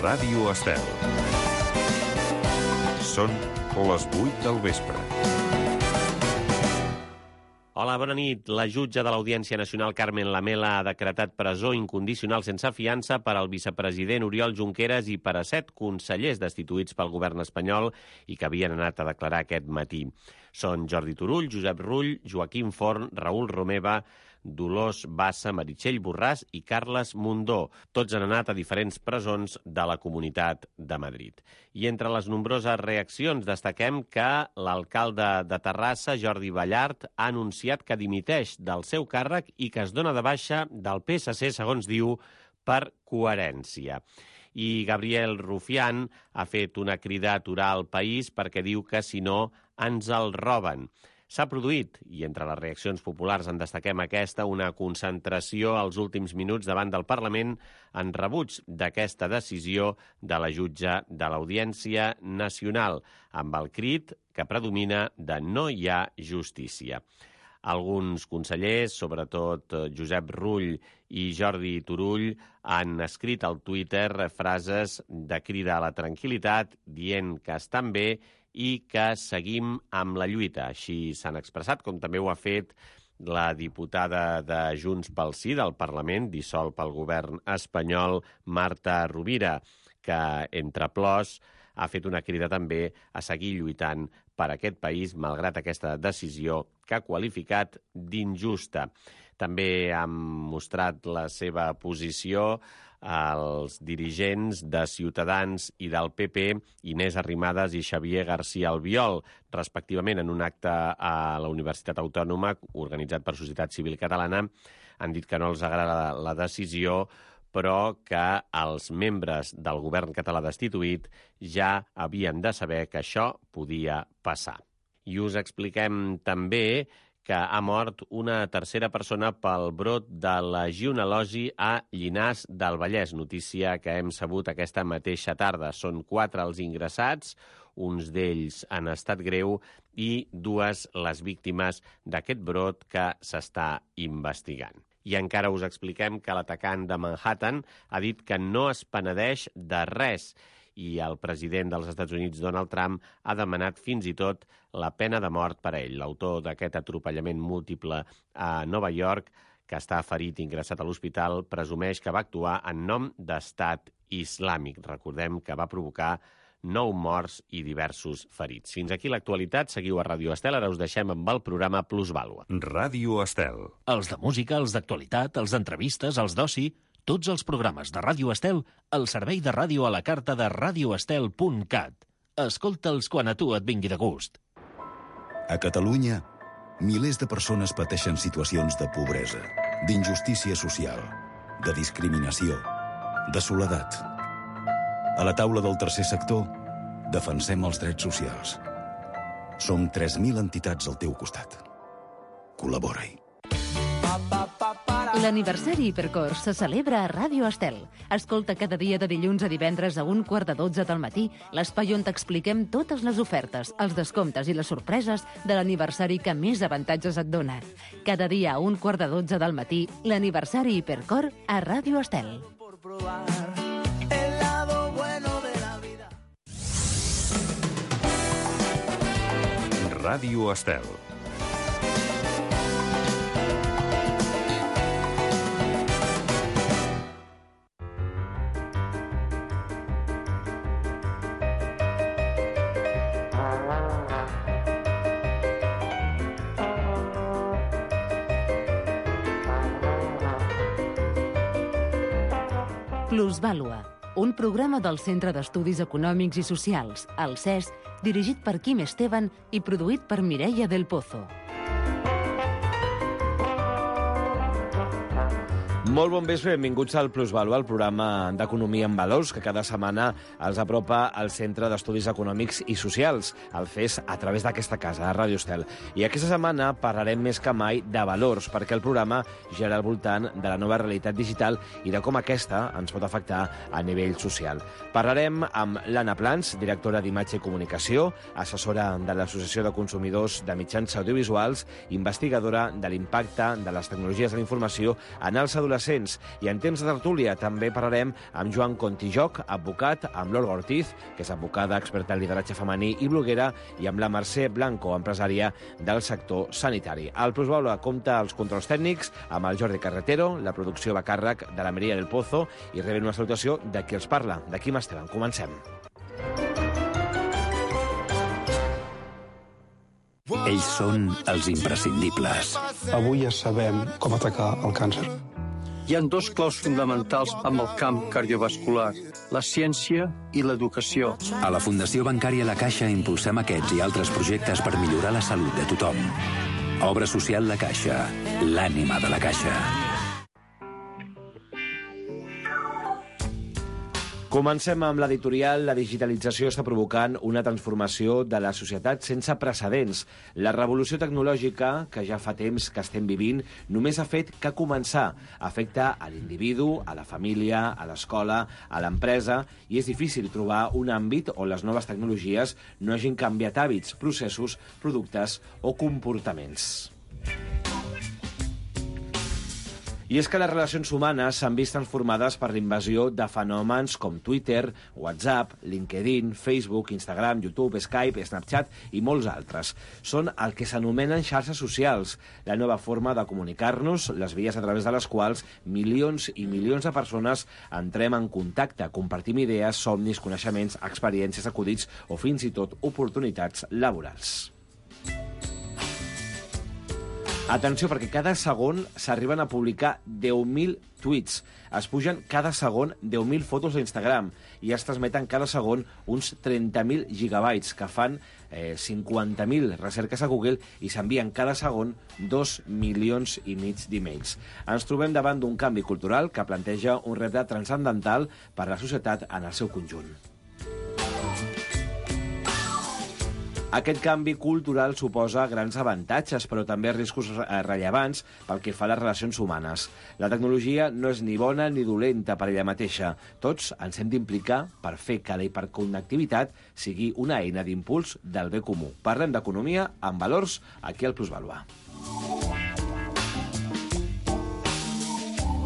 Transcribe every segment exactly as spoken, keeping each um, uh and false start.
Ràdio Estel. Són les vuit del vespre. Hola, bona nit. La jutge de l'Audiència Nacional, Carmen Lamela, ha decretat presó incondicional sense fiança per al vicepresident Oriol Junqueras i per a set consellers destituïts pel govern espanyol i que havien anat a declarar aquest matí. Són Jordi Turull, Josep Rull, Joaquim Forn, Raül Romeva, Dolors Bassa, Meritxell Borràs i Carles Mundó. Tots han anat a diferents presons de la Comunitat de Madrid. I entre les nombroses reaccions destaquem que l'alcalde de Terrassa, Jordi Ballart, ha anunciat que dimiteix del seu càrrec i que es dona de baixa del P S C, segons diu, per coherència. I Gabriel Rufián ha fet una crida a aturar el país perquè diu que, si no, ens el roben. S'ha produït, i entre les reaccions populars en destaquem aquesta, una concentració als últims minuts davant del Parlament en rebuig d'aquesta decisió de la jutge de l'Audiència Nacional, amb el crit que predomina de no hi ha justícia. Alguns consellers, sobretot Josep Rull i Jordi Turull, han escrit al Twitter frases de crida a la tranquil·litat, dient que estan bé i que seguim amb la lluita. Així s'han expressat, com també ho ha fet la diputada de Junts pel Sí del Parlament, dissol pel govern espanyol, Marta Rovira, que, entre plors, ha fet una crida també a seguir lluitant per aquest país, malgrat aquesta decisió que ha qualificat d'injusta. També han mostrat la seva posició els dirigents de Ciutadans i del P P, Inés Arrimadas i Xavier García Albiol, respectivament en un acte a la Universitat Autònoma organitzat per Societat Civil Catalana. Han dit que no els agrada la decisió, però que els membres del govern català destituït ja havien de saber que això podia passar. I us expliquem també que ha mort una tercera persona pel brot de legionel·losi a Llinars del Vallès, notícia que hem sabut aquesta mateixa tarda. Són quatre els ingressats, uns d'ells en estat greu i dues les víctimes d'aquest brot que s'està investigant. I encara us expliquem que l'atacant de Manhattan ha dit que no es penedeix de res, i el president dels Estats Units, Donald Trump, ha demanat fins i tot la pena de mort per a ell. L'autor d'aquest atropellament múltiple a Nova York, que està ferit i ingressat a l'hospital, presumeix que va actuar en nom d'Estat Islàmic. Recordem que va provocar nou morts i diversos ferits. Fins aquí l'actualitat. Seguiu a Ràdio Estel. Ara us deixem amb el programa Plusvàlua. Ràdio Estel. Els de música, els d'actualitat, els d'entrevistes, els d'oci... Tots els programes de Ràdio Estel al servei de ràdio a la carta de radio estel punt cat. Escolta'ls quan a tu et vingui de gust. A Catalunya, milers de persones pateixen situacions de pobresa, d'injustícia social, de discriminació, de soledat. A la taula del tercer sector, defensem els drets socials. Som tres mil entitats al teu costat. Col·labora-hi. L'aniversari Hipercor se celebra a Ràdio Estel. Escolta cada dia de dilluns a divendres a un quart de dotze del matí l'espai on t'expliquem totes les ofertes, els descomptes i les sorpreses de l'aniversari que més avantatges et dona. Cada dia a un quart de dotze del matí, l'aniversari Hipercor a Ràdio Estel. Ràdio Estel. Plusvàlua, un programa del Centre d'Estudis Econòmics i Socials, el C E S, dirigit per Quim Esteban i produït per Mireia del Pozo. Molt bon vespre, benvinguts al Plusvàlua, el programa d'Economia en Valors, que cada setmana els apropa al Centre d'Estudis Econòmics i Socials, el C E S, a través d'aquesta casa, a Ràdio Estel. I aquesta setmana parlarem més que mai de valors, perquè el programa gira al voltant de la nova realitat digital i de com aquesta ens pot afectar a nivell social. Parlarem amb l'Anna Plans, directora d'Imatge i Comunicació, assessora de l'Associació de Consumidors de Mitjans Audiovisuals, investigadora de l'impacte de les tecnologies de la informació en els adolescents adolescents. I en temps de tertúlia també parlarem amb Joan Contijoc, advocat, amb l'Olga Ortiz, que és advocada, experta en lideratge femení i bloguera, i amb la Mercè Blanco, empresària del sector sanitari. El Plusvalua compta els controls tècnics amb el Jordi Carretero, la producció va a càrrec de la Maria del Pozo i reben una salutació de qui els parla, de Quim Esteban. Comencem. Ells són els imprescindibles. Avui ja sabem com atacar el càncer. Hi ha dos claus fonamentals amb el camp cardiovascular, la ciència i l'educació. A la Fundació Bancària La Caixa impulsem aquests i altres projectes per millorar la salut de tothom. Obra social La Caixa, l'ànima de la Caixa. Comencem amb l'editorial. La digitalització està provocant una transformació de la societat sense precedents. La revolució tecnològica, que ja fa temps que estem vivint, només ha fet que començar. Afecta a l'individu, a la família, a l'escola, a l'empresa, i és difícil trobar un àmbit on les noves tecnologies no hagin canviat hàbits, processos, productes o comportaments. I és que les relacions humanes s'han vist transformades per l'invasió de fenòmens com Twitter, WhatsApp, LinkedIn, Facebook, Instagram, YouTube, Skype, Snapchat i molts altres. Són el que s'anomenen xarxes socials, la nova forma de comunicar-nos, les vies a través de les quals milions i milions de persones entrem en contacte, compartim idees, somnis, coneixements, experiències, acudits o fins i tot oportunitats laborals. Atenció, perquè cada segon s'arriben a publicar deu mil tuits. Es pugen cada segon deu mil fotos a Instagram i es transmeten cada segon uns trenta mil gigabytes, que fan eh, cinquanta mil recerques a Google, i s'envien cada segon dos milions i mig d'emails. Ens trobem davant d'un canvi cultural que planteja un repte transcendental per a la societat en el seu conjunt. Aquest canvi cultural suposa grans avantatges, però també riscos rellevants pel que fa a les relacions humanes. La tecnologia no és ni bona ni dolenta per ella mateixa. Tots ens hem d'implicar per fer que la hiperconnectivitat sigui una eina d'impuls del bé comú. Parlem d'economia amb valors aquí al Plusvalua.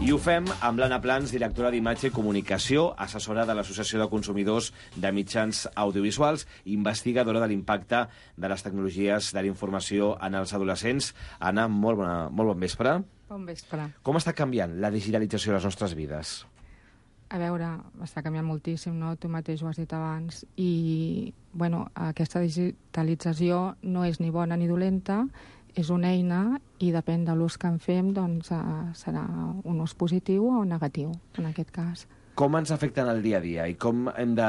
I ho fem amb l'Anna Plans, directora d'Imatge i Comunicació, assessora de l'Associació de Consumidors de Mitjans Audiovisuals i investigadora de l'impacte de les tecnologies de la informació en els adolescents. Anna, molt, bona, molt bon vespre. Bon vespre. Com està canviant la digitalització de les nostres vides? A veure, està canviant moltíssim, no? Tu mateix ho has dit abans. I, bueno, aquesta digitalització no és ni bona ni dolenta, és una eina i depèn de l'ús que en fem, doncs serà un ús positiu o negatiu, en aquest cas. Com ens afecta en el dia a dia i com hem de,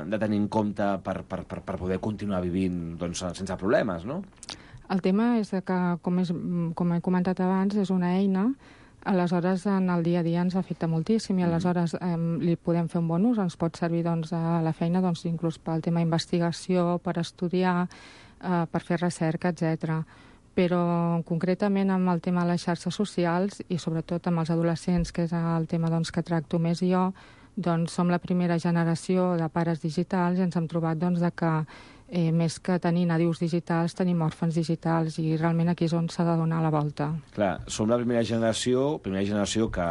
de tenir en compte per, per, per, per poder continuar vivint doncs, sense problemes, no? El tema és que, com, és, com he comentat abans, és una eina, aleshores en el dia a dia ens afecta moltíssim i aleshores eh, li podem fer un bon ús, ens pot servir doncs, a la feina doncs, inclús pel tema d'investigació, per estudiar, eh, per fer recerca, etcètera. Però concretament amb el tema de les xarxes socials i sobretot amb els adolescents, que és el tema doncs, que tracto més jo, doncs som la primera generació de pares digitals i ens hem trobat doncs, de que eh, més que tenir nadius digitals tenim òrfans digitals i realment aquí és on s'ha de donar la volta. Clar, som la primera generació, primera generació que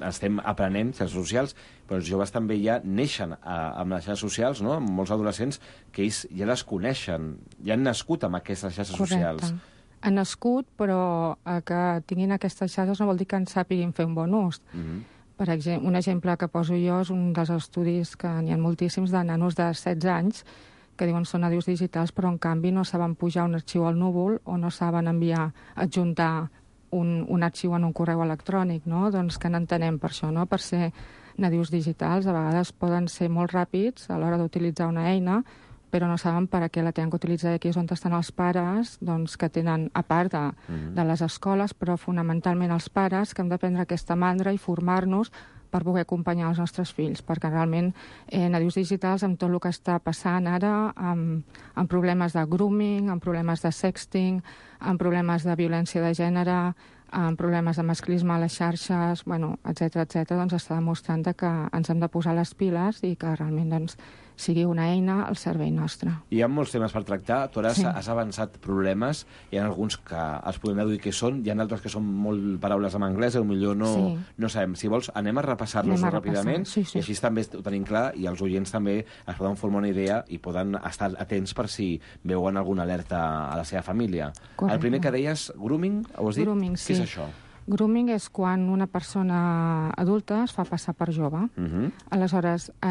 estem aprenent xarxes socials, però els joves també ja neixen a, amb les xarxes socials, no? Amb molts adolescents que ells ja les coneixen, ja han nascut amb aquestes xarxes Correcte. socials. Han nascut, però eh, que tinguin aquestes xarxes no vol dir que en sàpiguin fer un bon ús. Mm-hmm. Per exemple, un exemple que poso jo és un dels estudis que n'hi ha moltíssims de nanos de setze anys que diuen són nadius digitals, però en canvi no saben pujar un arxiu al núvol o no saben enviar, adjuntar un, un arxiu en un correu electrònic, no? Doncs que n'entenem per això, no? Per ser nadius digitals, a vegades poden ser molt ràpids a l'hora d'utilitzar una eina, però no saben per a què la tenen que utilitzar. Aquí és on estan els pares, doncs, que tenen, a part de, mm-hmm. de les escoles, però fonamentalment els pares, que hem de prendre aquesta mandra i formar-nos per poder acompanyar els nostres fills, perquè realment eh, nadius digitals, amb tot el que està passant ara, amb, amb problemes de grooming, amb problemes de sexting, amb problemes de violència de gènere, amb problemes de masclisme a les xarxes, bueno, etcètera, etcètera, doncs està demostrant que ens hem de posar les piles i que realment doncs, sigui una eina al servei nostre. Hi ha molts temes per tractar. Tu ara Sí. has avançat problemes. Hi ha alguns que els podem deduir què són, hi ha altres que són molt paraules en anglès, o millor no, Sí. no sabem. Si vols, anem a repassar-los Anem a ràpidament, repassar. Sí, sí. i així també ho tenim clar, i els oients també es poden formar una idea i poden estar atents per si veuen alguna alerta a la seva família. Correcte. El primer que deies, grooming, ho has dit? Grooming, sí. Què és això? Grooming és quan una persona adulta es fa passar per jove. Uh -huh. Aleshores, eh,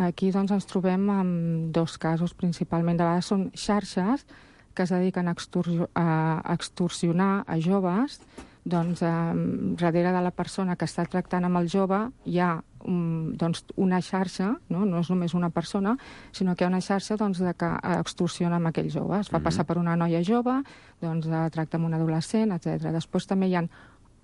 aquí doncs, ens trobem amb dos casos principalment. De vegades són xarxes que es dediquen a, extorsio a extorsionar a joves. Doncs, eh, darrere de la persona que està tractant amb el jove hi ha um, doncs, una xarxa, no? no és només una persona, sinó que hi ha una xarxa doncs, de que extorsiona amb aquell jove. Es fa Mhm. passar per una noia jove, doncs, eh, tracta amb un adolescent, etcètera. Després també hi ha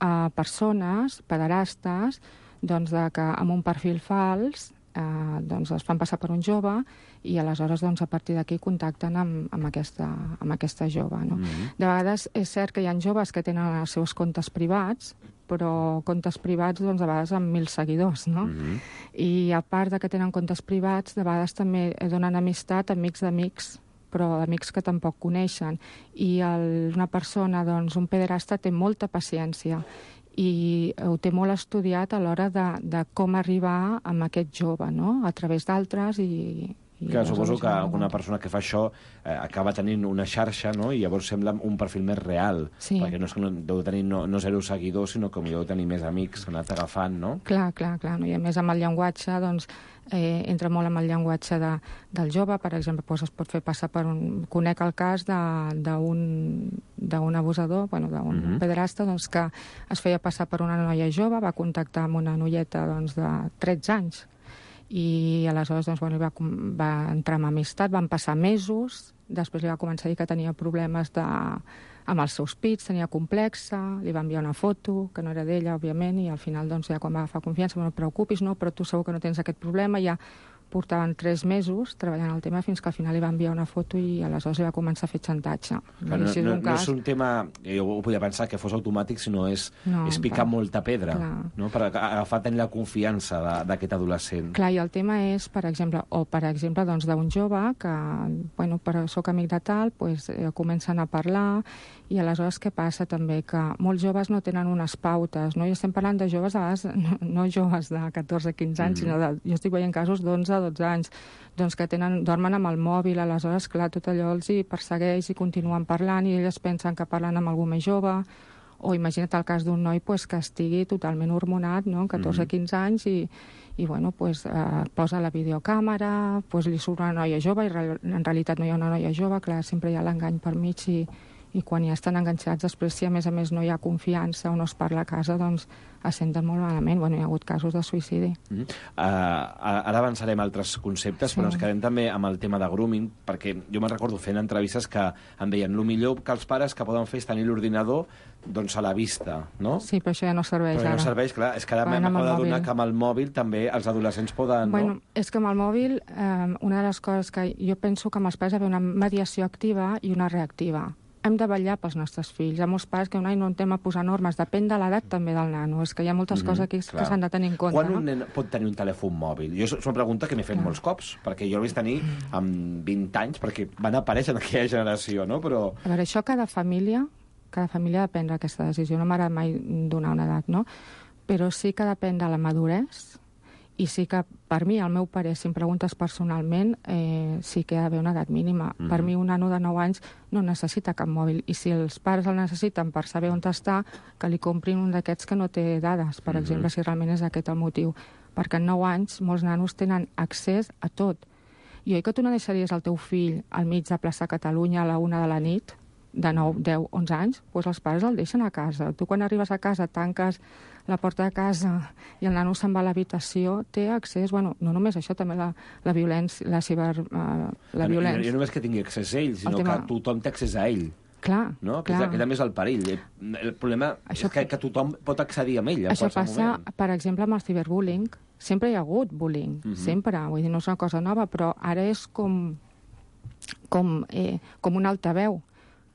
a persones, pederastes, doncs de que amb un perfil fals eh, doncs es fan passar per un jove i aleshores doncs, a partir d'aquí contacten amb, amb, aquesta, amb aquesta jove. No? Mhm. De vegades és cert que hi ha joves que tenen els seus comptes privats, però comptes privats doncs, a vegades amb mil seguidors. No? Mhm. I a part de que tenen comptes privats, de vegades també donen amistat a amics d'amics, però amics que tampoc coneixen. I el, una persona, doncs, un pederasta, té molta paciència i ho té molt estudiat a l'hora de, de com arribar amb aquest jove, no? A través d'altres i... i Que suposo aleshores que no- una persona que fa això eh, acaba tenint una xarxa, no? I llavors sembla un perfil més real. Sí. Perquè no és que no, deu tenir no, no zero seguidors, sinó que deu tenir més amics que han anat agafant, no? Clar, clar, clar. No? I a més amb el llenguatge, doncs, eh, entra molt amb el llenguatge de, del jove. Per exemple, doncs es pot fer passar per un... Conec el cas de- d'un d'un abusador, bueno, d'un Mhm. pederasta, doncs, que es feia passar per una noia jove, va contactar amb una noieta doncs, de tretze anys, i aleshores doncs, bueno, va, com- va entrar en amistat, van passar mesos, després li va començar a dir que tenia problemes de, amb els seus pits, tenia complexa, li va enviar una foto, que no era d'ella, òbviament, i al final, doncs, ja quan va agafar confiança, no et preocupis, no, però tu segur que no tens aquest problema, ja portaven tres mesos treballant el tema fins que al final li va enviar una foto i aleshores li va començar a fer xantatge. Que no, I si és no, un no cas... és un tema, jo ho podia pensar que fos automàtic, sinó és, No, és picar clar. molta pedra, Clar. no? Per agafar, tenir la confiança de- d'aquest adolescent. Clar, i el tema és, per exemple, o per exemple, doncs, d'un jove que, bueno, però soc amic de tal, pues, eh, comencen a parlar, i aleshores què passa també? Que molts joves no tenen unes pautes, no? I estem parlant de joves, a vegades, no, no joves de catorze quinze anys, Mhm. sinó de, jo estic veient casos d'onze dotze anys, doncs que tenen, dormen amb el mòbil, aleshores, clar, tot allò els hi persegueix i continuen parlant, i elles pensen que parlen amb algú més jove, o imagina't el cas d'un noi pues, que estigui totalment hormonat, no?, catorze quinze anys, i, i bueno, pues, eh, posa la videocàmera, pues, li surt una noia jove, i re en realitat no hi ha una noia jove, clar, sempre hi ha l'engany per mig, i, i quan ja estan enganxats, després, si a més a més no hi ha confiança o no es parla a casa, doncs es senten molt malament. Bueno, hi ha hagut casos de suïcidi. Mm -hmm. uh, ara avançarem a altres conceptes, Sí. però ens quedem també amb el tema de grooming, perquè jo me'n recordo fent entrevistes que em deien el millor que els pares que poden fer és tenir l'ordinador doncs, a la vista, no? Sí, però això ja no serveix Però ja ara. no serveix, clar. És que ara Van amb m'acabo el d'adonar mòbil. que amb el mòbil també els adolescents poden... Bueno, no? és que amb el mòbil, eh, una de les coses que jo penso que amb els pares hi ha d'haver una mediació activa i una reactiva. Hem de vetllar pels nostres fills. Hi ha molts pares que un any no anem a posar normes. Depèn de l'edat també del nano. És que hi ha moltes Mhm, coses aquí clar. que s'han de tenir en compte. Quan no? un nen pot tenir un telèfon mòbil? Jo és una pregunta que m'he fet molts cops, perquè jo l'he vist tenir amb vint anys, perquè van aparèixer en aquella generació, no? Però... A veure, això cada família, cada família ha de prendre aquesta decisió. No m'agrada mai donar una edat, no? Però sí que depèn de la maduresa, i sí que, per mi, el meu parer, si em preguntes personalment, eh, sí que ha d'haver una edat mínima. Mhm. Per mi, un nano de nou anys no necessita cap mòbil, i si els pares el necessiten per saber on està, que li comprin un d'aquests que no té dades, per Mhm. exemple, si realment és aquest el motiu. Perquè en nou anys molts nanos tenen accés a tot. I oi que tu no deixaries el teu fill al mig de plaça Catalunya a la una de la nit, de nou, deu, onze anys? Doncs els pares el deixen a casa. Tu quan arribes a casa tanques la porta de casa i el nano se'n va a l'habitació, té accés, bueno, no només això, també la, la violència, la ciber... Uh, la I violència. no només que tingui accés a ell, sinó tema- que tothom té accés a ell. Clar, No? Que, clar. és, que també és el perill. El problema Això- és que, que tothom pot accedir a ell en Això qualsevol passa, moment. per exemple, amb el ciberbullying. Sempre hi ha hagut bullying, Mhm. sempre. Vull dir, no és una cosa nova, però ara és com, com, eh, com un altaveu.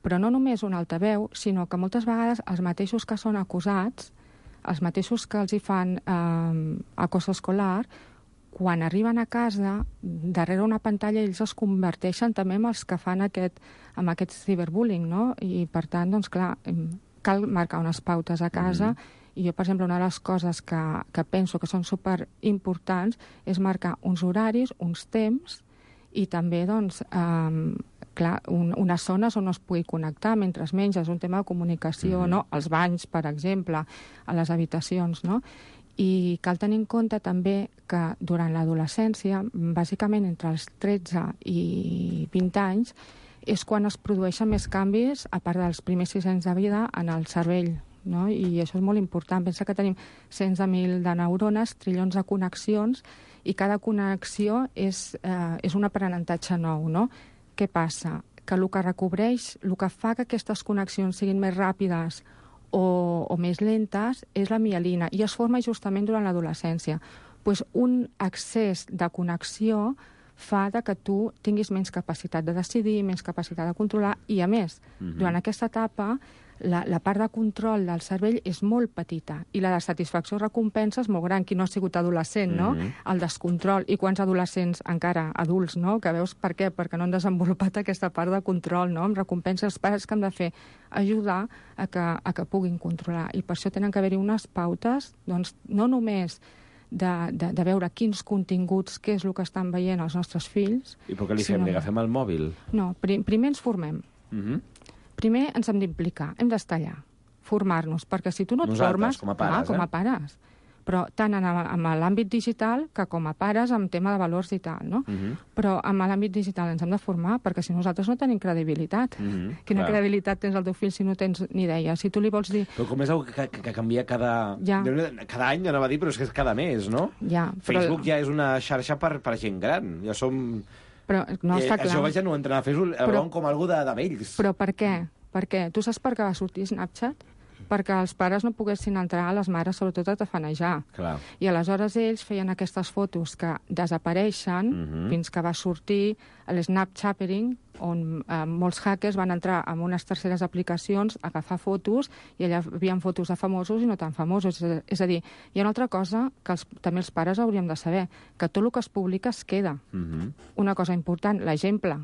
Però no només un altaveu, sinó que moltes vegades els mateixos que són acusats, els mateixos que els hi fan eh, acoso escolar, quan arriben a casa, darrere una pantalla, ells es converteixen també en els que fan aquest, amb aquest ciberbullying, no? I, per tant, doncs, clar, cal marcar unes pautes a casa. Mm-hmm. I jo, per exemple, una de les coses que, que penso que són superimportants és marcar uns horaris, uns temps, i també, doncs, eh, clar, un, unes zones on no es pugui connectar mentre es menja. És un tema de comunicació, mm-hmm. no? Els banys, per exemple, a les habitacions, no? I cal tenir en compte també que durant l'adolescència, bàsicament entre els tretze i vint anys, és quan es produeixen més canvis, a part dels primers sis anys de vida, en el cervell, no? I això és molt important. Pensa que tenim cents de mil de neurones, trilions de connexions, i cada connexió és, eh, és un aprenentatge nou, no? Què passa? Que el que recobreix, el que fa que aquestes connexions siguin més ràpides o, o més lentes és la mielina, i es forma justament durant l'adolescència. Pues un excés de connexió fa de que tu tinguis menys capacitat de decidir, menys capacitat de controlar, i a més, mm-hmm. durant aquesta etapa, la, la part de control del cervell és molt petita, i la de satisfacció recompensa és molt gran. Qui no ha sigut adolescent, no? Mm-hmm. El descontrol. I quants adolescents, encara adults, no? Que veus per què? Perquè no han desenvolupat aquesta part de control, no? Amb recompensa, els pares que han de fer ajudar a que, a que puguin controlar. I per això tenen que haver-hi unes pautes, doncs, no només De, de, de veure quins continguts, què és el que estan veient els nostres fills. I per què li fem? Li agafem el mòbil? No, prim, primer ens formem. Uh-huh. Primer ens hem d'implicar, hem d'estar allà, formar-nos, perquè si tu no et Nosaltres, formes... com a pares, ah, com a pares. Però tant en, en l'àmbit digital que com a pares amb tema de valors i tal, no? Uh-huh. Però en l'àmbit digital ens hem de formar, perquè si nosaltres no tenim credibilitat. Uh-huh. Quina Clar. credibilitat tens al teu fill si no tens ni idea? Si tu li vols dir... Però com és algo que, que, que canvia cada... Ja. Cada any, anava a dir, però és que és cada mes, no? Ja, però... Facebook ja és una xarxa per, per gent gran. Ja som... Però no està eh, clar. Els joves ja no entren a Facebook, el veuen com algú de, de vells. Però per què? Per què? Tu saps per què va sortir Snapchat? Perquè els pares no poguessin entrar, a les mares sobretot a tafanejar. Clar. I aleshores ells feien aquestes fotos que desapareixen uh-huh. fins que va sortir l'Snapchattering, on eh, molts hackers van entrar en unes terceres aplicacions a agafar fotos, i allà hi havia fotos de famosos i no tan famosos. És a dir, hi ha una altra cosa que els, també els pares hauríem de saber, que tot el que es publica es queda. Uh-huh. Una cosa important, l'exemple,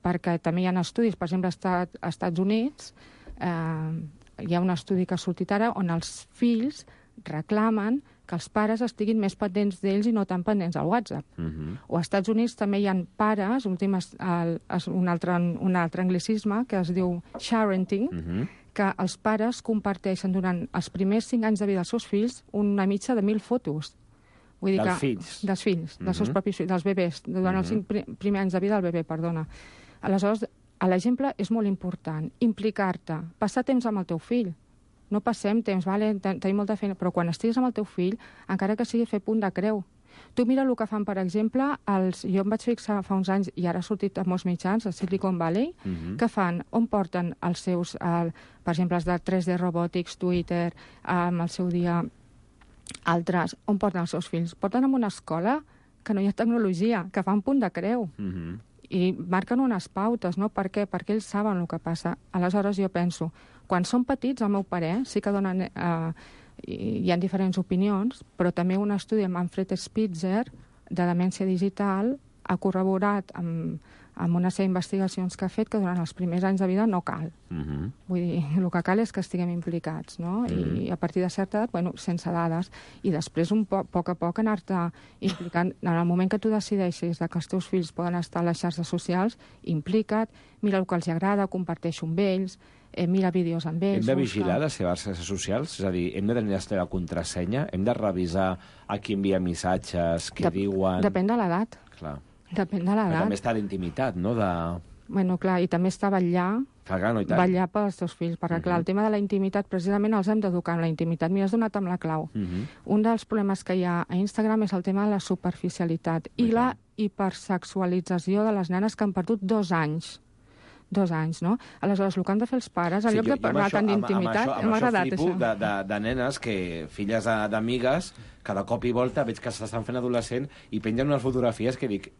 perquè també hi ha estudis, per exemple, als Estats Units, eh, hi ha un estudi que ha sortit ara on els fills reclamen que els pares estiguin més pendents d'ells i no tan pendents al WhatsApp. Uh-huh. O als Estats Units també hi ha pares, últim, el, un, altre, un altre anglicisme que es diu sharenting, uh-huh. que els pares comparteixen durant els primers cinc anys de vida dels seus fills una mitja de mil fotos. Vull dir dels que, fills? Dels fills, uh-huh. dels seus propis fills, dels bebès, durant uh-huh. els cinc pri primers anys de vida del bebè, perdona. Aleshores, l'exemple és molt important. Implicar-te, passar temps amb el teu fill. No passem temps, vale, tenim molta feina, però quan estiguis amb el teu fill, encara que sigui fer punt de creu. Tu mira el que fan, per exemple, els, jo em vaig fixar fa uns anys, i ara ha sortit a molts mitjans, a Silicon Valley, uh-huh. que fan, on porten els seus, el, per exemple, els de tres D Robotics, Twitter, amb el seu dia, altres, on porten els seus fills? Porten en una escola que no hi ha tecnologia, que fan punt de creu. Uh-huh. I marquen unes pautes, no? Per què? Perquè ells saben el que passa. Aleshores jo penso, quan són petits, al meu parer, sí que donen, eh, hi ha diferents opinions, però també un estudi amb Manfred Spitzer de demència digital ha corroborat amb, amb una sèrie d'investigacions que ha fet que durant els primers anys de vida no cal. Uh-huh. Vull dir, el que cal és que estiguem implicats, no? Uh-huh. I a partir de certa edat, bueno, sense dades, i després un poc, poc a poc anar-te implicant. En el moment que tu decideixis que els teus fills poden estar a les xarxes socials, implica't, mira el que els agrada, comparteixo amb ells, eh, mira vídeos amb ells... Hem de vigilar les seves xarxes socials? És a dir, hem de tenir la seva contrasenya? Hem de revisar a qui envia missatges, què Dep diuen... Depèn de l'edat. Clar. Depèn de l'edat. Però també està l'intimitat, no? De... Bueno, clar, i també està vetllar, Clar, no, vetllar pels teus fills, perquè, uh-huh. clar, el tema de la intimitat, precisament els hem d'educar en la intimitat. Mira, has donat amb la clau. Uh-huh. Un dels problemes que hi ha a Instagram és el tema de la superficialitat i uh-huh. la hipersexualització de les nenes que han perdut dos anys. Dos anys, no? Aleshores, el que han de fer els pares, en sí, lloc de parlar tant d'intimitat, m'ha agradat això. Amb això flipo de, de, de nenes que, filles d'amigues, cada cop i volta veig que s'estan fent adolescent i pengen unes fotografies que dic,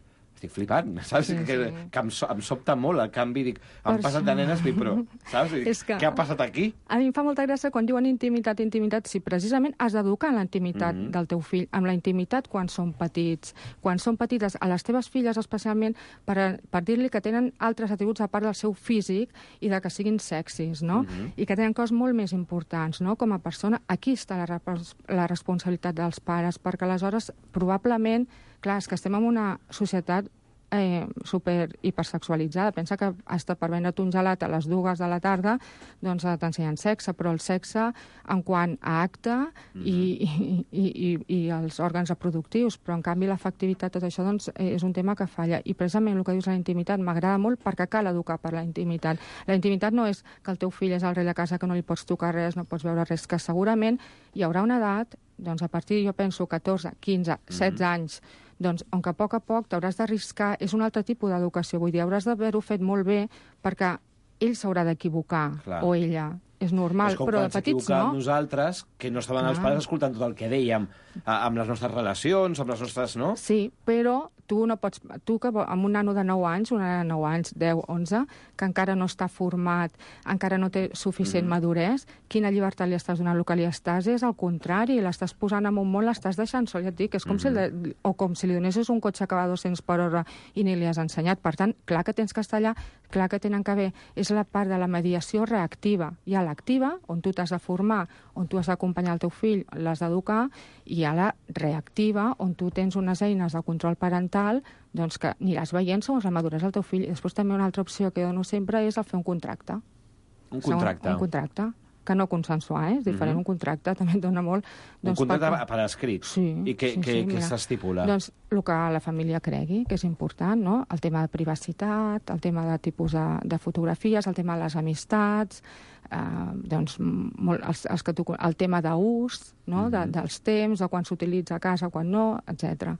estic flipant, saps? Sí, que, sí. que em, so, em sobta molt el canvi, dic, han Per passat això. de nenes, però, saps? Dic, És que- què ha passat aquí? A mi em fa molta gràcia quan diuen intimitat, intimitat, si precisament has d'educar en la intimitat Mhm. del teu fill, amb la intimitat quan són petits. Quan són petites, a les teves filles especialment, per, per dir-li que tenen altres atributs a part del seu físic i de que siguin sexis, no? Mhm. I que tenen coses molt més importants, no? Com a persona, aquí està la, repos- la responsabilitat dels pares, perquè aleshores, probablement, clar, és que estem en una societat eh, super hipersexualitzada. Pensa que hasta per vendre't un gelat a les dues de la tarda doncs eh, t'ensenyen sexe, però el sexe en quant a acte mm -hmm. i, i, i, i els òrgans reproductius, però en canvi l'afectivitat, tot això doncs, eh, és un tema que falla. I precisament el que dius de la intimitat m'agrada molt perquè cal educar per la intimitat. La intimitat no és que el teu fill és el rei de casa, que no li pots tocar res, no pots veure res, que segurament hi haurà una edat, doncs a partir, jo penso, catorze, quinze, setze anys, doncs, on que a poc a poc t'hauràs d'arriscar, és un altre tipus d'educació, vull dir, hauràs d'haver-ho fet molt bé perquè ell s'haurà d'equivocar, Clar. o ella. És normal, és com però quan de petits s'equivocàvem no. nosaltres, que no estaven els Clar. pares escoltant tot el que dèiem, a, amb les nostres relacions, amb les nostres... no? Sí, però tu no pots... Tu, que vo- amb un nano de nou anys, una nena de nou anys, deu, onze, que encara no està format, encara no té suficient Mhm. maduresa, quina llibertat li estàs donant? El que li estàs és al contrari, l'estàs posant en un món, l'estàs deixant sol, ja et dic, és com, si le, o com si li donessis un cotxe que va a dos-cents per hora i ni li has ensenyat. Per tant, clar que tens que estar allà, clar que tenen que haver... És la part de la mediació reactiva. Hi ha l'activa, on tu t'has de formar, on tu has d'acompanyar el teu fill, l'has d'educar, i hi ha la reactiva, on tu tens unes eines de control parental doncs que aniràs veient segons la maduresa del teu fill. I després també una altra opció que dono sempre és el fer un contracte. Un contracte. Un, un contracte, que no consensuar, eh? És diferent, Mhm. un contracte també et dona molt... Un contracte perquè- per escrit. Sí, I què, sí, què, sí, què mira. s'estipula? Doncs el que la família cregui, que és important, no? El tema de privacitat, el tema de tipus de, de fotografies, el tema de les amistats, eh, doncs, molt, els, els que tu, el tema d'ús, no? de, dels temps, de quan s'utilitza a casa, quan no, etcètera.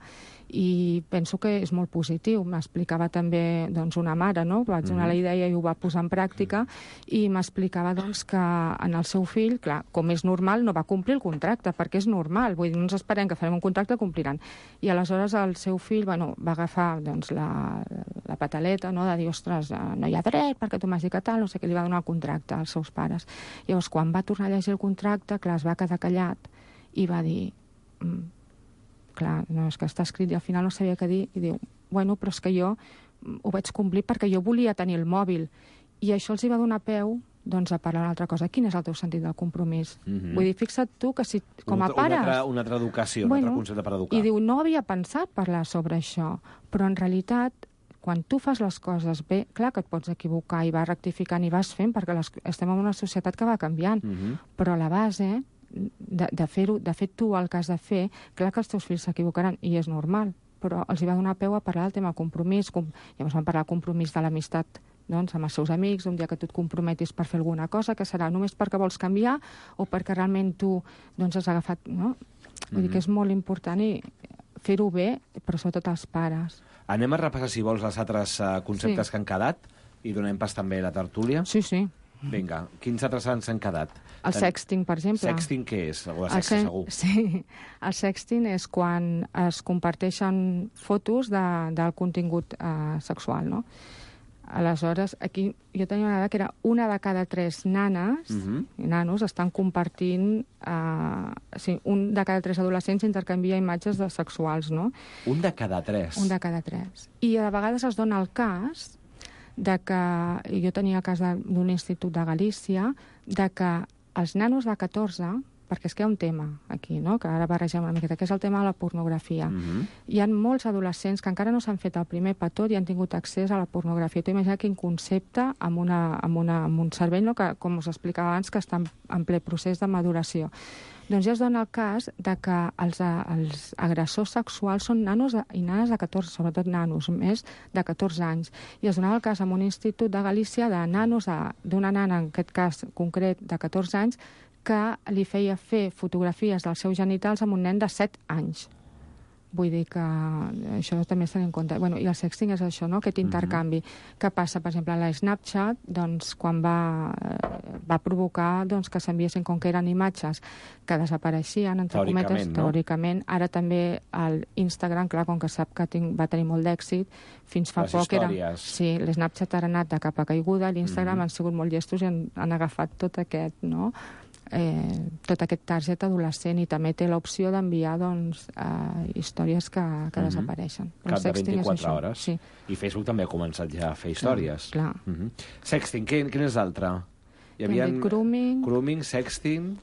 I penso que és molt positiu. M'explicava també doncs, una mare, no? Vaig donar la idea i ho va posar en pràctica, i m'explicava doncs, que en el seu fill, clar, com és normal, no va complir el contracte, perquè és normal. Vull dir, no ens esperem que farem un contracte, compliran. I aleshores el seu fill bueno, va agafar doncs, la, la pataleta, no? De dir, ostres, no hi ha dret perquè tu m'has dit que tal, no sé què, li va donar el contracte als seus pares. Llavors, quan va tornar a llegir el contracte, clar, es va quedar callat i va dir... Mm, clar, no, és que està escrit i al final no sabia què dir, i diu, bueno, però és que jo ho vaig complir perquè jo volia tenir el mòbil. I això els hi va donar peu doncs, a parlar una altra cosa. Quin és el teu sentit del compromís? Mhm. Vull dir, fixa't tu que si, com Una a altra- pares... Una altra, una altra educació, Bueno, un altre concepte per educar. I diu, no havia pensat parlar sobre això, però en realitat, quan tu fas les coses bé, clar que et pots equivocar i vas rectificant i vas fent, perquè les, estem en una societat que va canviant, Mhm. però la base de, de fer-ho, de fet tu el que has de fer, clar que els teus fills s'equivocaran, i és normal, però els hi va donar peu a parlar del tema compromís, com, llavors van parlar del compromís de l'amistat doncs, amb els seus amics, un dia que tu et comprometis per fer alguna cosa, que serà només perquè vols canviar o perquè realment tu doncs, has agafat... No? Vull dir que és molt important i fer-ho bé, però sobretot els pares. Anem a repassar, si vols, els altres uh, conceptes Sí. que han quedat i donem pas també a la tertúlia. Sí, sí. Vinga, quins altres ens han quedat? El sexting, per exemple. Sexting què és? O El sexe, sen- segur. Sí, el sexting és quan es comparteixen fotos de, del contingut eh, sexual, no? Aleshores, aquí jo tenia una dada que era una de cada tres nanes Mhm. i nanos estan compartint... Eh, sí, un de cada tres adolescents intercanvia imatges de sexuals, no? Un de cada tres. Un de cada tres. I a vegades es dona el cas de que, i jo tenia el cas de- d'un institut de Galícia, de que els nanos de catorze, perquè és que hi ha un tema aquí, no? Que ara barregem una miqueta, que és el tema de la pornografia. Mhm. Hi ha molts adolescents que encara no s'han fet el primer petó i han tingut accés a la pornografia. Tu imagina quin concepte amb, una, amb, una, amb un cervell, no? Que, com us explicava abans, que està en, en ple procés de maduració. Doncs ja es dona el cas de que els, els agressors sexuals són nanos de, i nanes de catorze, sobretot nanos, més de catorze anys. I es donava el cas en un institut de Galícia de nanos, d'una nana, en aquest cas concret, de catorze anys, que li feia fer fotografies dels seus genitals amb un nen de set anys. Vull dir que això també s'ha en compte. Bueno, i el sexting és això, no?, aquest intercanvi. Mm-hmm. Què passa? Per exemple, la Snapchat, doncs, quan va, va provocar doncs, que s'enviessin, com que eren imatges que desapareixien, entre teòricament, cometes, no? teòricament. Ara també l'Instagram, clar, com que sap que tinc, va tenir molt d'èxit, fins fa Les poc històries. era... Sí, l'Snapchat ha anat de capa caiguda, l'Instagram mm-hmm. han sigut molt llestos i han, han agafat tot aquest, no?, Eh, tot aquest target adolescent, i també té l'opció d'enviar doncs, eh, històries que, que mm-hmm. desapareixen. Cap de vint-i-quatre hores. Sí. I Facebook també ha començat ja a fer històries. Clar, clar. Mm-hmm. Sexting, quin, quin és l'altre? Hi havia grooming. Grooming, sexting,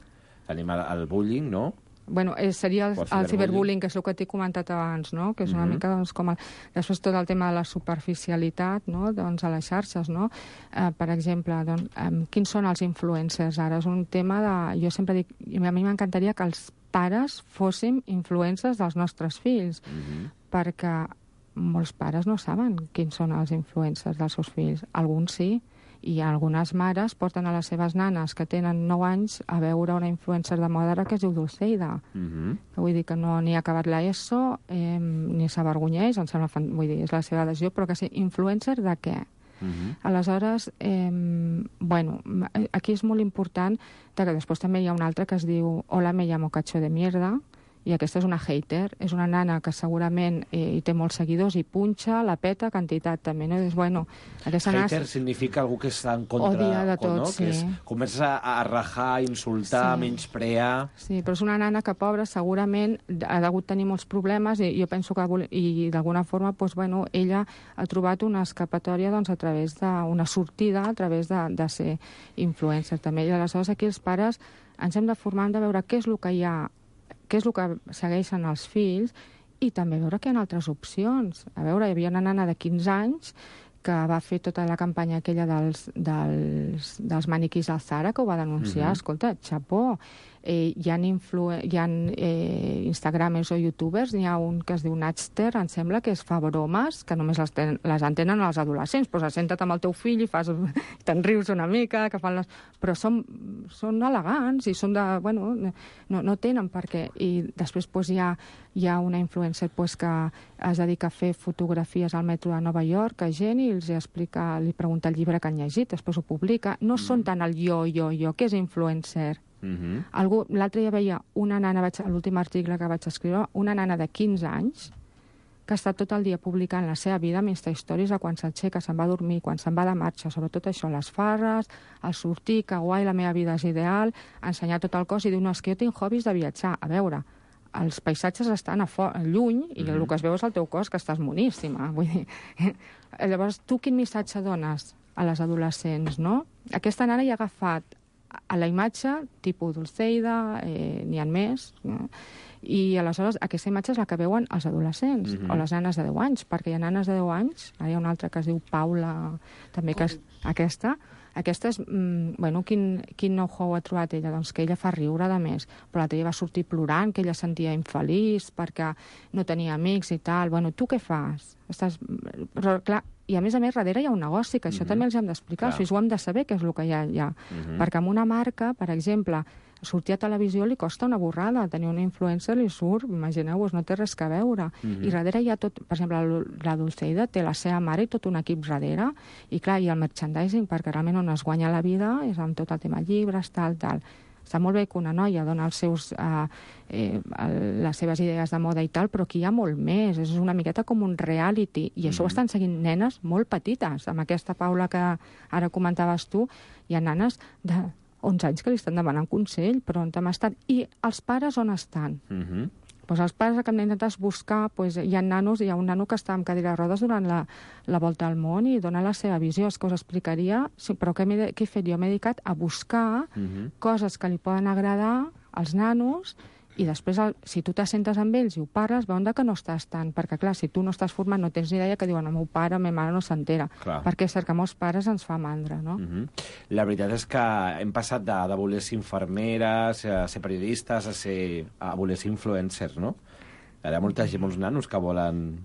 tenim el, el bullying, no? Bueno, eh, seria el, el ciberbullying, que és el que t'he comentat abans, no?, que és una mm-hmm. mica doncs, com... El... Després tot el tema de la superficialitat, no?, doncs, a les xarxes, no? Eh, per exemple, doncs, eh, quins són els influencers ara? És un tema de... Jo sempre dic... A mi m'encantaria que els pares fóssim influencers dels nostres fills, mm-hmm. perquè molts pares no saben quins són els influencers dels seus fills. Alguns sí, i algunes mares porten a les seves nanes que tenen nou anys a veure una influencer de moda que es diu Dulceida. Mm-hmm. Vull dir que no ni ha acabat l'ESO, eh, ni s'avergonyeix, em sembla, fan... vull dir, és la seva decisió, però que sí, influencer de què? Mm-hmm. Aleshores, eh, bueno, aquí és molt important que després també hi ha un altre que es diu Hola, me llamo cacho de mierda, i aquesta és una hater, és una nana que segurament eh, hi té molts seguidors i punxa, la peta, quantitat també, no? I dius, bueno, aquesta hater nana... significa algú que està en contra... Odia de tot, no? sí. Que és, comença a, a rajar, a insultar, sí. menysprear... Sí, però és una nana que, pobra, segurament ha degut tenir molts problemes, i jo penso que i d'alguna forma, doncs, bueno, ella ha trobat una escapatòria doncs, a través d'una sortida, a través de, de ser influencer també. I aleshores aquí els pares ens hem de formar, hem de veure què és el que hi ha, què és el que segueixen els fills, i també veure que hi ha altres opcions. A veure, hi havia una nana de quinze anys que va fer tota la campanya aquella dels, dels, dels maniquís al Zara, que ho va denunciar. Mm-hmm. Escolta, xapó. Eh, hi ha, influ... hi ha eh, instagramers o youtubers, n'hi ha un que es diu Natster, em sembla, que es fa bromes, que només les, ten... les entenen els adolescents, doncs senta't amb el teu fill i fas... te'n rius una mica, que fan les... però són, són elegants i són de... bueno, no, no tenen per què. I després doncs, hi ha, hi ha una influencer doncs, que es dedica a fer fotografies al metro de Nova York a gent i els explica, li pregunta el llibre que han llegit, després ho publica. No mm. són tant el jo, jo, jo, que és influencer. Mm-hmm. Algú, l'altre dia veia una nana, vaig, l'últim article que vaig escriure, una nana de quinze anys que està tot el dia publicant la seva vida amb Insta-Stories, a quan s'aixeca, se'n va a dormir, quan se'n va de marxa, sobretot això, les farres, el sortir, que guai, la meva vida és ideal, ensenyar tot el cos, i diu, no, és que jo tinc hobbies de viatjar. A veure, els paisatges estan a fo- lluny i mm-hmm. el que es veu és el teu cos, que estàs moníssima. Vull dir, llavors, tu quin missatge dones a les adolescents, no? Aquesta nana hi ha agafat a la imatge, tipus Dulceida, eh, n'hi ha més, no? I aleshores aquesta imatge és la que veuen els adolescents, mm-hmm. o les nanes de deu anys, perquè hi ha nanes de deu anys, ara hi ha una altra que es diu Paula, també que és aquesta, aquesta és, mm, bueno, quin, quin know-how ha trobat ella? Doncs que ella fa riure de més, però l'altre dia va sortir plorant, que ella sentia infeliç perquè no tenia amics i tal. Bueno, tu què fas? Estàs... Però, clar, i a més a més, darrere hi ha un negoci, que això mm-hmm. també els hem d'explicar, o sigui, ho hem de saber què és el que hi ha allà. Mm-hmm. Perquè amb una marca, per exemple, sortir a televisió li costa una borrada, tenir un influencer li surt, imagineu-vos, no té res que veure. Mm-hmm. I darrere hi ha tot, per exemple, la Dulceida té la seva mare i tot un equip darrere, i clar, i el merchandising, perquè realment on es guanya la vida és amb tot el tema llibres, tal, tal. Està molt bé que una noia dona els seus, eh, eh, les seves idees de moda i tal, però aquí hi ha molt més. És una miqueta com un reality. I això mm-hmm. ho estan seguint nenes molt petites. Amb aquesta Paula que ara comentaves tu, hi ha nanes de onze anys que li estan demanant consell, però on hem estat? I els pares on estan? Mm-hmm. Pues els pares el que hem d'intentar és buscar, pues, hi ha nanos, hi ha un nano que està amb cadira de rodes durant la, la volta al món i dona la seva visió, és que us explicaria, sí, però què, què he fet? Jo m'he dedicat a buscar uh-huh. coses que li poden agradar als nanos, i després, el, si tu t'assentes amb ells i ho parles, veuen que no estàs tant, perquè clar, si tu no estàs format, no tens ni idea, que diuen, el meu pare, la meva mare no s'entera, perquè és cert que molts pares ens fa mandra, no? Uh-huh. La veritat és que hem passat de, de voler ser infermeres, a ser periodistes, a, ser, a voler ser influencers, no? Hi ha molta gent, molts nanos que volen...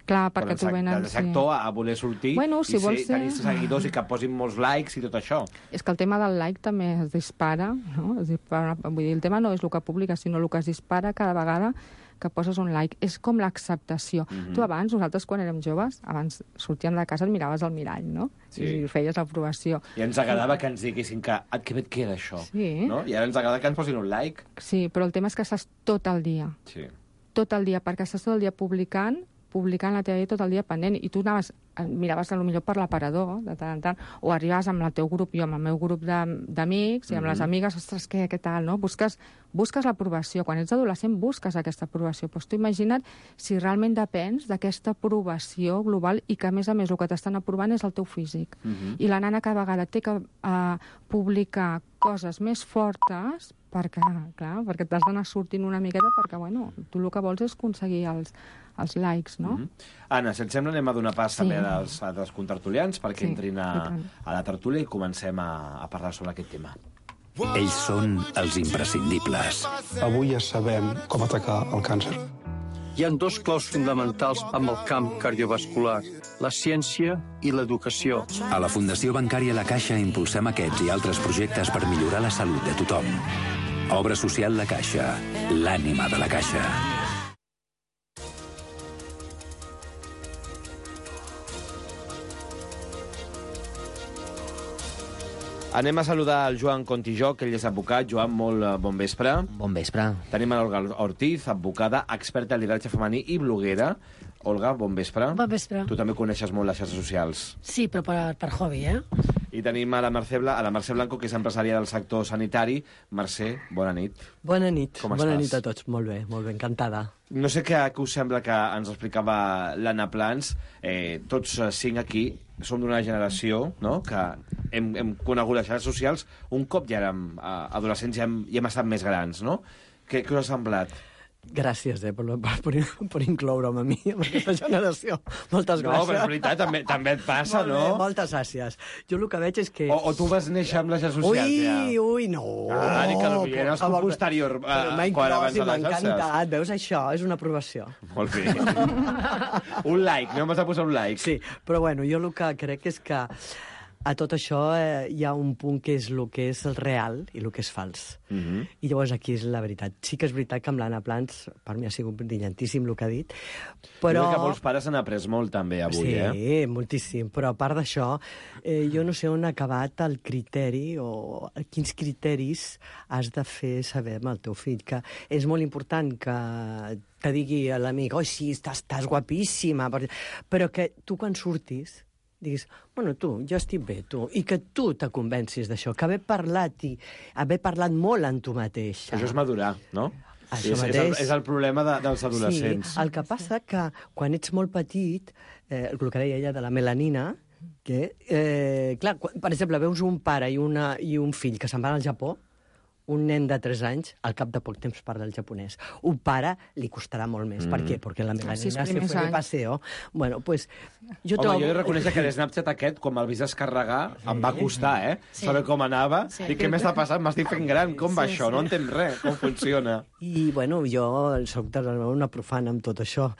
Clar, perquè tu venen... De ser actor a voler sortir bueno, si i ser, ser... tenir seguidors i que posin molts likes i tot això. És que el tema del like també es dispara, no? Es dispara, vull dir, el tema no és el que publica, sinó el que es dispara cada vegada que poses un like. És com l'acceptació. Mhm. Tu abans, nosaltres quan érem joves, abans sortíem de casa et miraves al mirall, no? Sí. I feies l'aprovació. I ens agradava que ens diguessin que ah, que bé et queda això. Sí. No? I ara ens agrada que ens posin un like. Sí, però el tema és que estàs tot el dia. Sí. Tot el dia, perquè estàs tot el dia publicant, publicant la teva vida tot el dia pendent, i tu anaves, miraves potser per l'aparador, de tant en tant, o arribaves amb el teu grup, jo amb el meu grup d'amics, i amb Mhm. les amigues, ostres, què, què tal, no? Busques, busques l'aprovació. Quan ets adolescent busques aquesta aprovació. Doncs tu imagina't si realment depens d'aquesta aprovació global i que, a més a més, el que t'estan aprovant és el teu físic. Mhm. I la nana cada vegada té que uh, publicar coses més fortes perquè, clar, perquè t'has d'anar sortint una miqueta perquè, bueno, tu el que vols és aconseguir els, els likes, no? Mm -hmm. Anna, si et sembla, anem a donar pas Sí. també als, als contertulians perquè Sí, entrin i a, tant. a la tertúlia i comencem a, a parlar sobre aquest tema. Ells són els imprescindibles. Avui ja sabem com atacar el càncer. Hi ha dos claus fonamentals amb el camp cardiovascular, la ciència i l'educació. A la Fundació Bancària La Caixa impulsem aquests i altres projectes per millorar la salut de tothom. Obra social La Caixa, l'ànima de la Caixa. Anem a saludar el Joan Contijó, que ell és advocat. Joan, molt eh, bon vespre. Bon vespre. Tenim a l'Olga Ortiz, advocada, experta en lideratge femení i bloguera. Olga, bon vespre. Bon vespre. Tu també coneixes molt les xarxes socials. Sí, però per, per hobby, eh? I tenim a la Mercè, Bla, a la Mercè Blanco, que és empresària del sector sanitari. Mercè, bona nit. Bona nit. Com bona estàs? nit a tots. Molt bé, molt bé, encantada. No sé què, què us sembla que ens explicava l'Anna Plans. Eh, tots eh, cinc aquí som d'una generació, no?, que hem, hem conegut les xarxes socials un cop ja érem eh, adolescents i hem, i hem estat més grans, no? Què, què us ha semblat? Gràcies, eh, per, per, per incloure'm a mi, en aquesta generació. Moltes No, gràcies. però és veritat, també, també et passa, Molt no? Bé, moltes gràcies. Jo el que veig és que... O, o tu vas néixer amb les xarxes socials, ui, ja? Ui, no. Ah, ni que no, ja eres com posterior, eh, Però m'ha quan inclòs abans i de m'ha les xarxes. encantat. Veus, això és una aprovació. Molt bé. Un like, no vas a posar un like. Sí, però bueno, jo el que crec és que a tot això eh, hi ha un punt que és el que és el real i el que és fals. Mm -hmm. I llavors aquí és la veritat. Sí que és veritat que amb l'Anna Plans, per mi ha sigut brillantíssim el que ha dit, però... Jo crec que molts pares han après molt també avui, sí, eh? Sí, moltíssim. Però a part d'això, eh, jo no sé on ha acabat el criteri o quins criteris has de fer saber amb el teu fill. Que és molt important que te digui a l'amic, oi, sí, estàs, estàs guapíssima, però que tu quan surtis diguis, bueno, tu, jo estic bé, tu, i que tu te convencis d'això, que haver parlat i haver parlat molt en tu mateixa. Això és madurar, no? Això és, és, el, és el problema de, dels adolescents. Sí, el que passa que quan ets molt petit, eh, el que deia ella de la melanina, que, eh, clar, quan, per exemple, veus un pare i, una, i un fill que se'n van al Japó, un nen de tres anys, al cap de poc temps parla el japonès. Un pare li costarà molt més. Mm. Per què? Perquè la melanina Sí, se fue de paseo. Bueno, pues, jo Home, trobo... jo he de reconèixer que l'Snapchat aquest, quan me'l vist descarregar, sí. em va costar, eh? Sí. Saber com anava Sí. i què m'està passant, m'estic fent gran, com va Sí, això? sí. No entenc res, com funciona. I, bueno, jo soc de una profana amb tot això.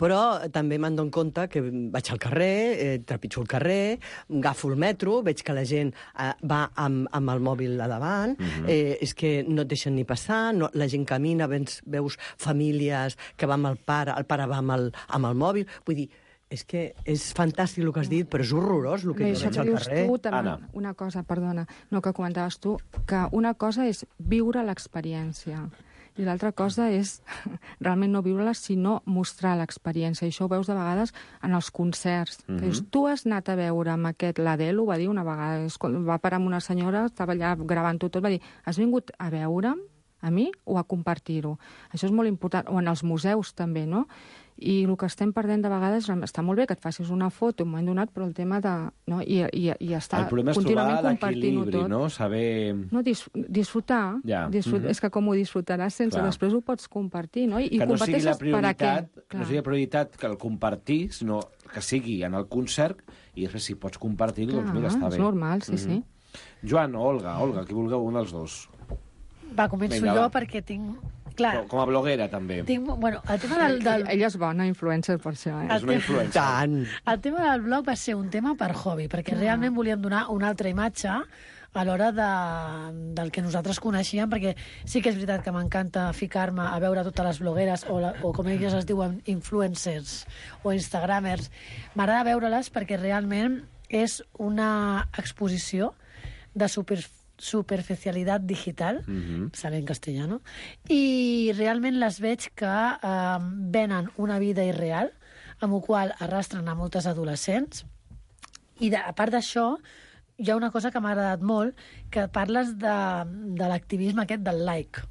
Però també m'han donat compte que vaig al carrer, eh, trepitjo el carrer, agafo el metro, veig que la gent eh, va amb, amb el mòbil a davant, Mhm. eh, és que no et deixen ni passar, no, la gent camina, veus, veus famílies que va amb el pare, el pare va amb el, amb el mòbil, vull dir, és que és fantàstic el que has dit, però és horrorós el que Bé, jo això veig que al dius carrer. tu, també, una cosa, perdona, no, que comentaves tu, que una cosa és viure l'experiència i l'altra cosa és realment no viure-la, sinó mostrar l'experiència. I això ho veus de vegades en els concerts. Mhm. Que dius, tu has anat a veure amb aquest, l'Adele ho va dir una vegada, és quan va parar amb una senyora, estava allà gravant-ho tot, va dir, has vingut a veure'm, a mi, o a compartir-ho? Això és molt important. O en els museus també, no? I el que estem perdent de vegades, està molt bé que et facis una foto en un moment donat, però el tema de... No? I, i, i estar El problema és contínuament trobar compartint-ho l'equilibri, tot. no? Saber... No, dis, disfrutar. Ja. disfrut, Mhm. És que com ho disfrutaràs sense, Clar. després ho pots compartir, no? I, i que no sigui la comparteixes per a què? prioritat, Clar. no sigui la prioritat que el compartir, sinó que sigui en el concert i després si pots compartir-ho, doncs Clar, mira, està bé. és normal, sí, sí. Joan o Olga, Olga, qui vulgueu, un dels dos. Va, començo Vinga, jo va. perquè tinc... Clar, Com, com a bloguera, també. tinc... Bueno, el tema del... del... Ella és bona influencer per això, eh? És una influencer. Tant. El tema del blog va ser un tema per hobby, perquè realment volíem donar una altra imatge a l'hora de, del que nosaltres coneixíem, perquè sí que és veritat que m'encanta ficar-me a veure totes les blogueres, o, la, o com elles es diuen, influencers o instagramers. M'agrada veure-les perquè realment és una exposició de super, superficialitat digital, mm-hmm. sale en castellano, i realment les veig que eh, venen una vida irreal, amb la qual arrastren a moltes adolescents, i de, a part d'això, hi ha una cosa que m'ha agradat molt, que parles de, de l'activisme aquest del like.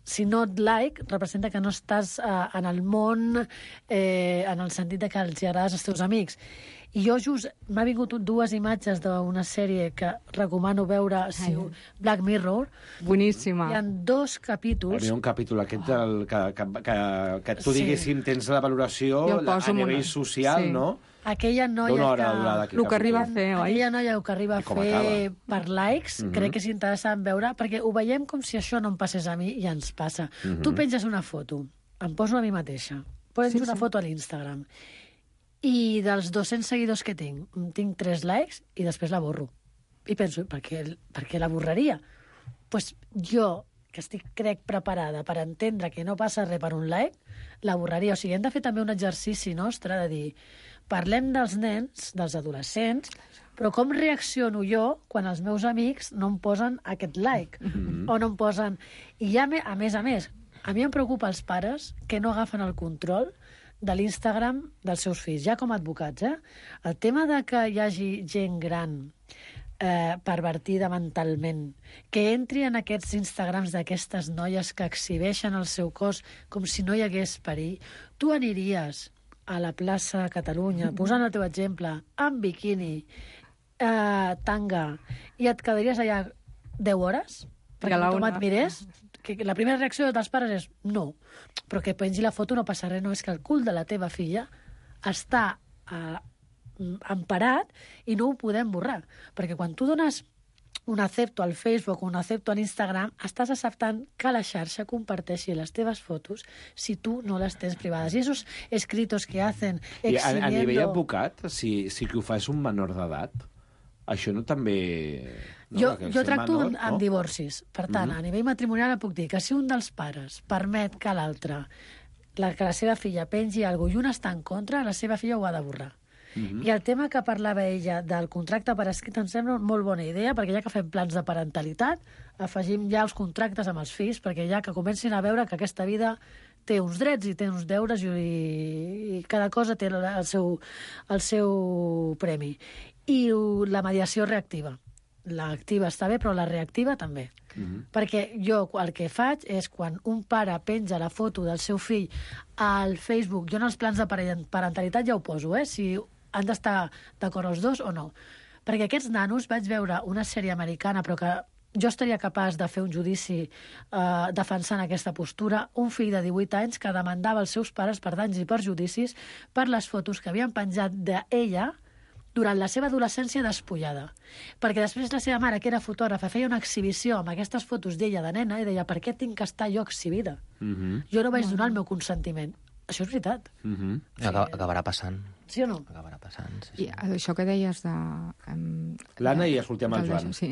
Si no et like, representa que no estàs eh, en el món eh, en el sentit de que els agrades als teus amics. I jo just m'ha vingut dues imatges d'una sèrie que recomano veure, si Ai. Black Mirror. Boníssima. Hi ha dos capítols. Hi ha un capítol aquest del, que, que, que, que tu, sí. diguéssim, tens la valoració la, a nivell una... social, sí. no? Aquella noia hora que... El que arriba a fer, oi? Aquella noia que arriba a fer acaba. per likes, uh-huh. crec que és interessant veure, perquè ho veiem com si això no em passés a mi i ens passa. Uh-huh. Tu penges una foto, em poso a mi mateixa, penjo sí, una sí. foto a l'Instagram, i dels dos-cents seguidors que tinc, tinc tres likes i després la borro. I penso, per què, per què la borraria? Doncs pues jo, que estic, crec, preparada per entendre que no passa res per un like, la borraria. O sigui, hem de fer també un exercici nostre de dir, parlem dels nens, dels adolescents, però com reacciono jo quan els meus amics no em posen aquest like? Mm-hmm. O no em posen... I ja, a més a més, a mi em preocupa els pares que no agafen el control de l'Instagram dels seus fills, ja com a advocats, eh? El tema de que hi hagi gent gran eh, pervertida mentalment, que entri en aquests Instagrams d'aquestes noies que exhibeixen el seu cos com si no hi hagués perill. Tu aniries a la plaça Catalunya, posant el teu exemple, amb biquini, eh, tanga, i et quedaries allà deu hores? Perquè tothom et mirés? Que la primera reacció dels pares és no, però que pengi la foto no passa res, no, és que el cul de la teva filla està eh, emparat i no ho podem borrar, perquè quan tu dones un acepto al Facebook o un acepto a l'Instagram, estàs acceptant que la xarxa comparteixi les teves fotos si tu no les tens privades. I esos escritos que hacen exhibiendo... I a, a nivell advocat, si, si que ho fa és un menor d'edat, això no també... No, jo jo tracto menor, amb, amb no? divorcis. Per tant, mm-hmm. a nivell matrimonial puc dir que si un dels pares permet que l'altre, la, que la seva filla pengi alguna cosa i un està en contra, la seva filla ho ha de borrar. Mm-hmm. I el tema que parlava ella del contracte per escrit em sembla molt bona idea, perquè ja que fem plans de parentalitat, afegim ja els contractes amb els fills, perquè ja que comencin a veure que aquesta vida té uns drets i té uns deures i, i cada cosa té el seu, el seu premi. I la mediació reactiva. L'activa està bé, però la reactiva també. Mm-hmm. Perquè jo el que faig és quan un pare penja la foto del seu fill al Facebook, jo en els plans de parentalitat ja ho poso, eh? Si han d'estar d'acord els dos o no. Perquè aquests nanos, vaig veure una sèrie americana, però que jo estaria capaç de fer un judici eh, defensant aquesta postura, un fill de divuit anys que demandava els seus pares per danys i perjudicis per les fotos que havien penjat d'ella durant la seva adolescència despullada. Perquè després la seva mare, que era fotògrafa, feia una exhibició amb aquestes fotos d'ella de nena i deia, per què tinc que estar jo exhibida? Mm-hmm. Jo no vaig donar el meu consentiment. Això és veritat. Mm-hmm. Sí. Acabarà passant. Sí o no? Acabarà passant, sí, sí. I això que deies de... Um, L'Anna i escoltem el Joan. Sí.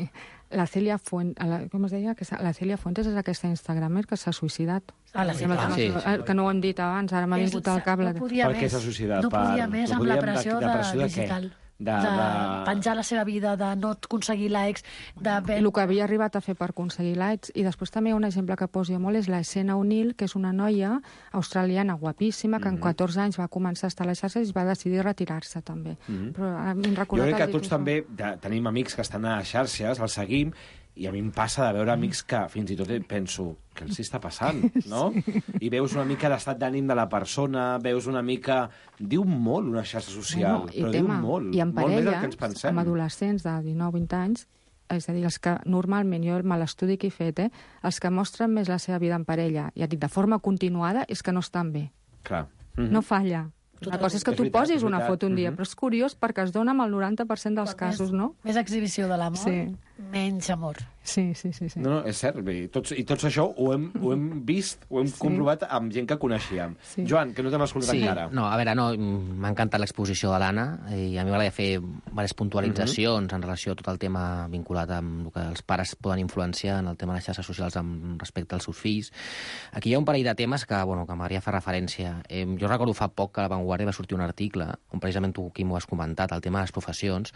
La Celia Fuentes, la, com es deia? La Celia Fuentes és aquesta instagramer que s'ha suïcidat. Ah, la Celia. Ah, sí, sí. Que no ho hem dit abans, ara m'ha vingut al cap. No podia per què s'ha suïcidat? No podia per... més amb la pressió, de, de, pressió de, de digital. De, de, de penjar la seva vida, de no aconseguir likes, de... El que havia arribat a fer per aconseguir likes. I després també un exemple que poso jo molt és la Senna O'Neill, que és una noia australiana guapíssima, que mm-hmm. en catorze anys va començar a estar a les xarxes i va decidir retirar-se també. Mm-hmm. Però a mi em jo crec que tots també de, tenim amics que estan a les xarxes, els seguim, i a mi em passa de veure amics que fins i tot penso, què els està passant, no? Sí. I veus una mica l'estat d'ànim de la persona, veus una mica... Diu molt una xarxa social, bueno, però tema, diu molt. I en parella, molt més del que ens pensem. Amb adolescents de dinou vint anys, és a dir, els que normalment, jo el malestudi que he fet, eh, els que mostren més la seva vida en parella, ja dic, de forma continuada, és que no estan bé. Clar. Mm-hmm. No falla. La cosa és que és tu veritat, posis una foto un dia, mm-hmm. però és curiós perquè es dona amb el noranta per cent dels però casos, més, no? Més exhibició de l'amor. Sí. menys amor. Sí, sí, sí. sí. No, no, és cert. I tots, i tots això ho hem, ho hem vist, ho hem sí. comprovat amb gent que coneixíem. Sí. Joan, que no t'hem escoltat sí. encara. No, a veure, no, m'ha encantat l'exposició de l'Anna i a mi m'agradaria fer diverses puntualitzacions uh-huh. en relació a tot el tema vinculat amb el que els pares poden influenciar en el tema de les xarxes socials amb respecte als seus fills. Aquí hi ha un parell de temes que, bueno, que m'agradaria fer referència. Eh, jo recordo fa poc que a La Vanguardia va sortir un article on precisament tu, Quim, ho has comentat, el tema de les professions,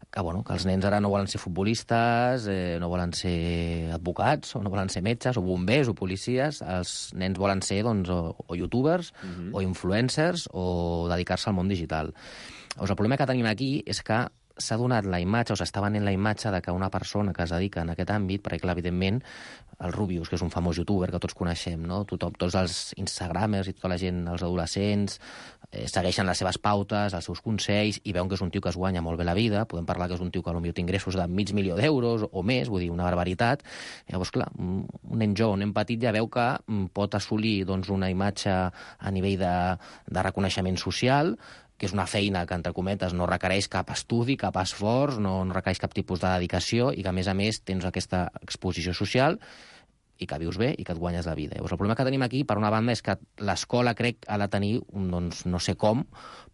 que, bueno, que els nens ara no volen ser futbolistes, eh, no volen ser advocats, o no volen ser metges, o bombers, o policies. Els nens volen ser, doncs, o, o youtubers, uh-huh. o influencers, o dedicar-se al món digital. Doncs el problema que tenim aquí és que s'ha donat la imatge, o s'està venent la imatge de que una persona que es dedica en aquest àmbit, perquè, clar, evidentment, el Rubius, que és un famós youtuber que tots coneixem, no? Tothom, tots els instagramers i tota la gent, els adolescents, eh, segueixen les seves pautes, els seus consells, i veuen que és un tio que es guanya molt bé la vida. Podem parlar que és un tio que potser té ingressos de mig milió d'euros o més, vull dir, una barbaritat. Llavors, clar, un nen jove, un nen petit ja veu que pot assolir, doncs, una imatge a nivell de, de reconeixement social, que és una feina que, entre cometes, no requereix cap estudi, cap esforç, no, no requereix cap tipus de dedicació i que, a més a més, tens aquesta exposició social i que vius bé i que et guanyes la vida. Llavors, el problema que tenim aquí, per una banda, és que l'escola, crec, ha de tenir, un, doncs, no sé com,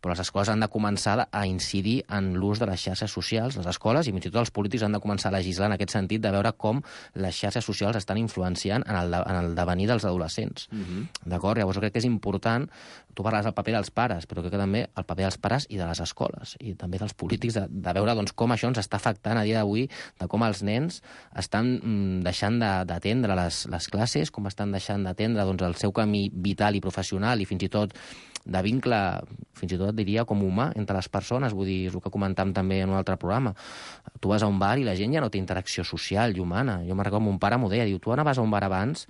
però les escoles han de començar a incidir en l'ús de les xarxes socials, les escoles, i fins i tot els polítics han de començar a legislar en aquest sentit, de veure com les xarxes socials estan influenciant en el, en el devenir dels adolescents. Uh-huh. D'acord? Llavors, jo crec que és important, tu parles del paper dels pares, però crec que també el paper dels pares i de les escoles, i també dels polítics, de, de veure, doncs, com això ens està afectant a dia d'avui, de com els nens estan mm, deixant d'atendre les, les classes, com estan deixant d'atendre, doncs, el seu camí vital i professional, i fins i tot de vincle, fins i tot diria com humà, entre les persones. Vull dir, és el que comentàvem també en un altre programa. Tu vas a un bar i la gent ja no té interacció social i humana. Jo me'n recordo, mon pare m'ho deia, diu, tu anaves a un bar abans,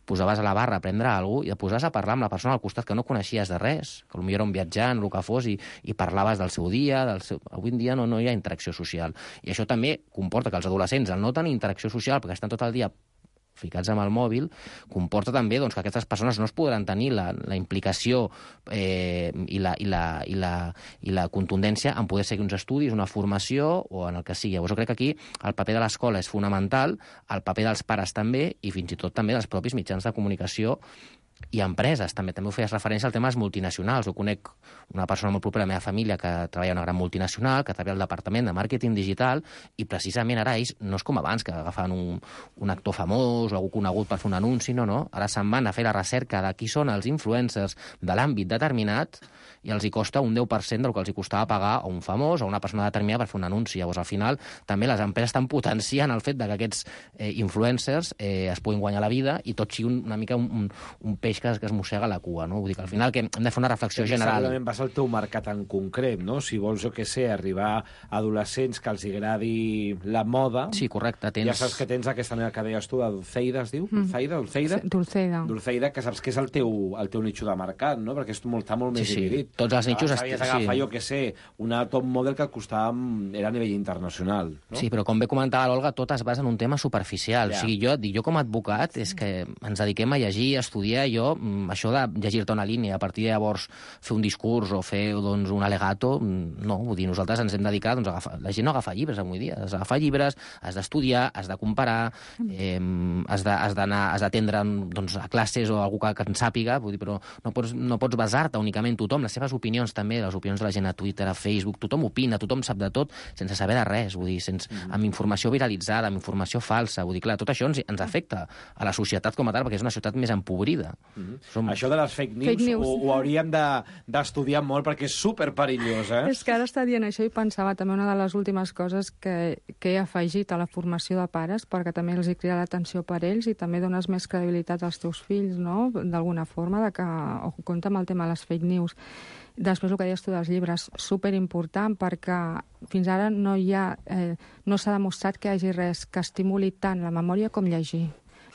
posaves a la barra a prendre alguna cosa i et posaves a parlar amb la persona al costat que no coneixies de res, que potser era un viatjant, el que fos, i, i parlaves del seu dia, del seu... Avui en dia no, no hi ha interacció social. I això també comporta que els adolescents, al no tenir interacció social, perquè estan tot el dia ficats amb el mòbil, comporta també, doncs, que aquestes persones no es podran tenir la, la implicació eh, i, la, i, la, i, la, i la contundència en poder seguir uns estudis, una formació o en el que sigui. Llavors jo crec que aquí el paper de l'escola és fonamental, el paper dels pares també, i fins i tot també dels propis mitjans de comunicació i empreses. També també ho feies referència al tema dels multinacionals. Jo conec una persona molt propera a la meva família que treballa en una gran multinacional, que treballa al departament de màrqueting digital, i precisament ara ells no és com abans, que agafaven un, un actor famós o algú conegut per fer un anunci, no, no. Ara se'n van a fer la recerca de qui són els influencers de l'àmbit determinat i els hi costa un deu per cent del que els hi costava pagar a un famós o a una persona determinada per fer un anunci. Llavors, al final, també les empreses estan potenciant el fet de que aquests eh, influencers eh, es puguin guanyar la vida i tot sigui una mica un, un, un peix que es, que es mossega la cua, no? Vull dir que al final que hem de fer una reflexió Perquè general. Segurament vas al teu mercat en concret, no? Si vols, jo què sé, arribar a adolescents que els agradi la moda... Sí, correcte. Tens... Ja saps que tens aquesta manera que deies tu, de Dulceida, es diu? Mm. Dulceida? Dulceida? Dulceida. Dulceida, que saps que és el teu, el teu nicho de mercat, no? Perquè és molt, està molt sí, més sí. dividit. Tots els nichos... Sabies agafar, sí. jo què sé, una top model que et costava... era a nivell internacional, no? Sí, però com bé comentava l'Olga, tot es basa en un tema superficial. Ja. O sigui, jo, dic, jo com a advocat és que ens dediquem a llegir, a estudiar, jo, això de llegir-te una línia, a partir de llavors fer un discurs o fer, doncs, un alegato, no, vull dir, nosaltres ens hem dedicat, doncs, a agafar... La gent no agafa llibres avui dia, has d'agafar llibres, has d'estudiar, has de comparar, eh, has de, has d'anar, has d'atendre, doncs, a classes o algú que, que en sàpiga, vull dir, però no pots, no pots basar-te únicament tothom, les seves opinions també, les opinions de la gent a Twitter, a Facebook, tothom opina, tothom sap de tot, sense saber de res, vull dir, sense, mm. amb informació viralitzada, amb informació falsa, vull dir, clar, tot això ens, ens afecta a la societat com a tal, perquè és una societat més empobrida. Mm. Som... Això de les fake news, fake news. Ho, ho hauríem d'estudiar de, molt, perquè és superperillós, eh? És que ara està dient això i pensava també una de les últimes coses que, que he afegit a la formació de pares, perquè també els hi crida l'atenció per ells i també dones més credibilitat als teus fills, no?, d'alguna forma, de que, o compte amb el tema de les fake news. Després, el que deies tu dels llibres, superimportant, perquè fins ara no hi ha, eh, no s'ha demostrat que hi hagi res que estimuli tant la memòria com llegir.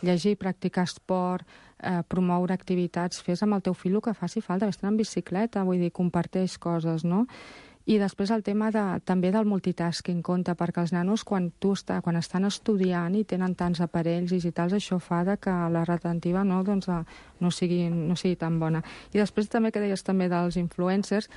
Llegir, practicar esport, eh, promoure activitats, fes amb el teu fill el que faci falta, vés en bicicleta, vull dir, comparteix coses, no? I després el tema de, també del multitasking compte, perquè els nanos, quan, tu està, quan estan estudiant i tenen tants aparells digitals, això fa de que la retentiva no, doncs, no, sigui, no sigui tan bona. I després també que deies també dels influencers,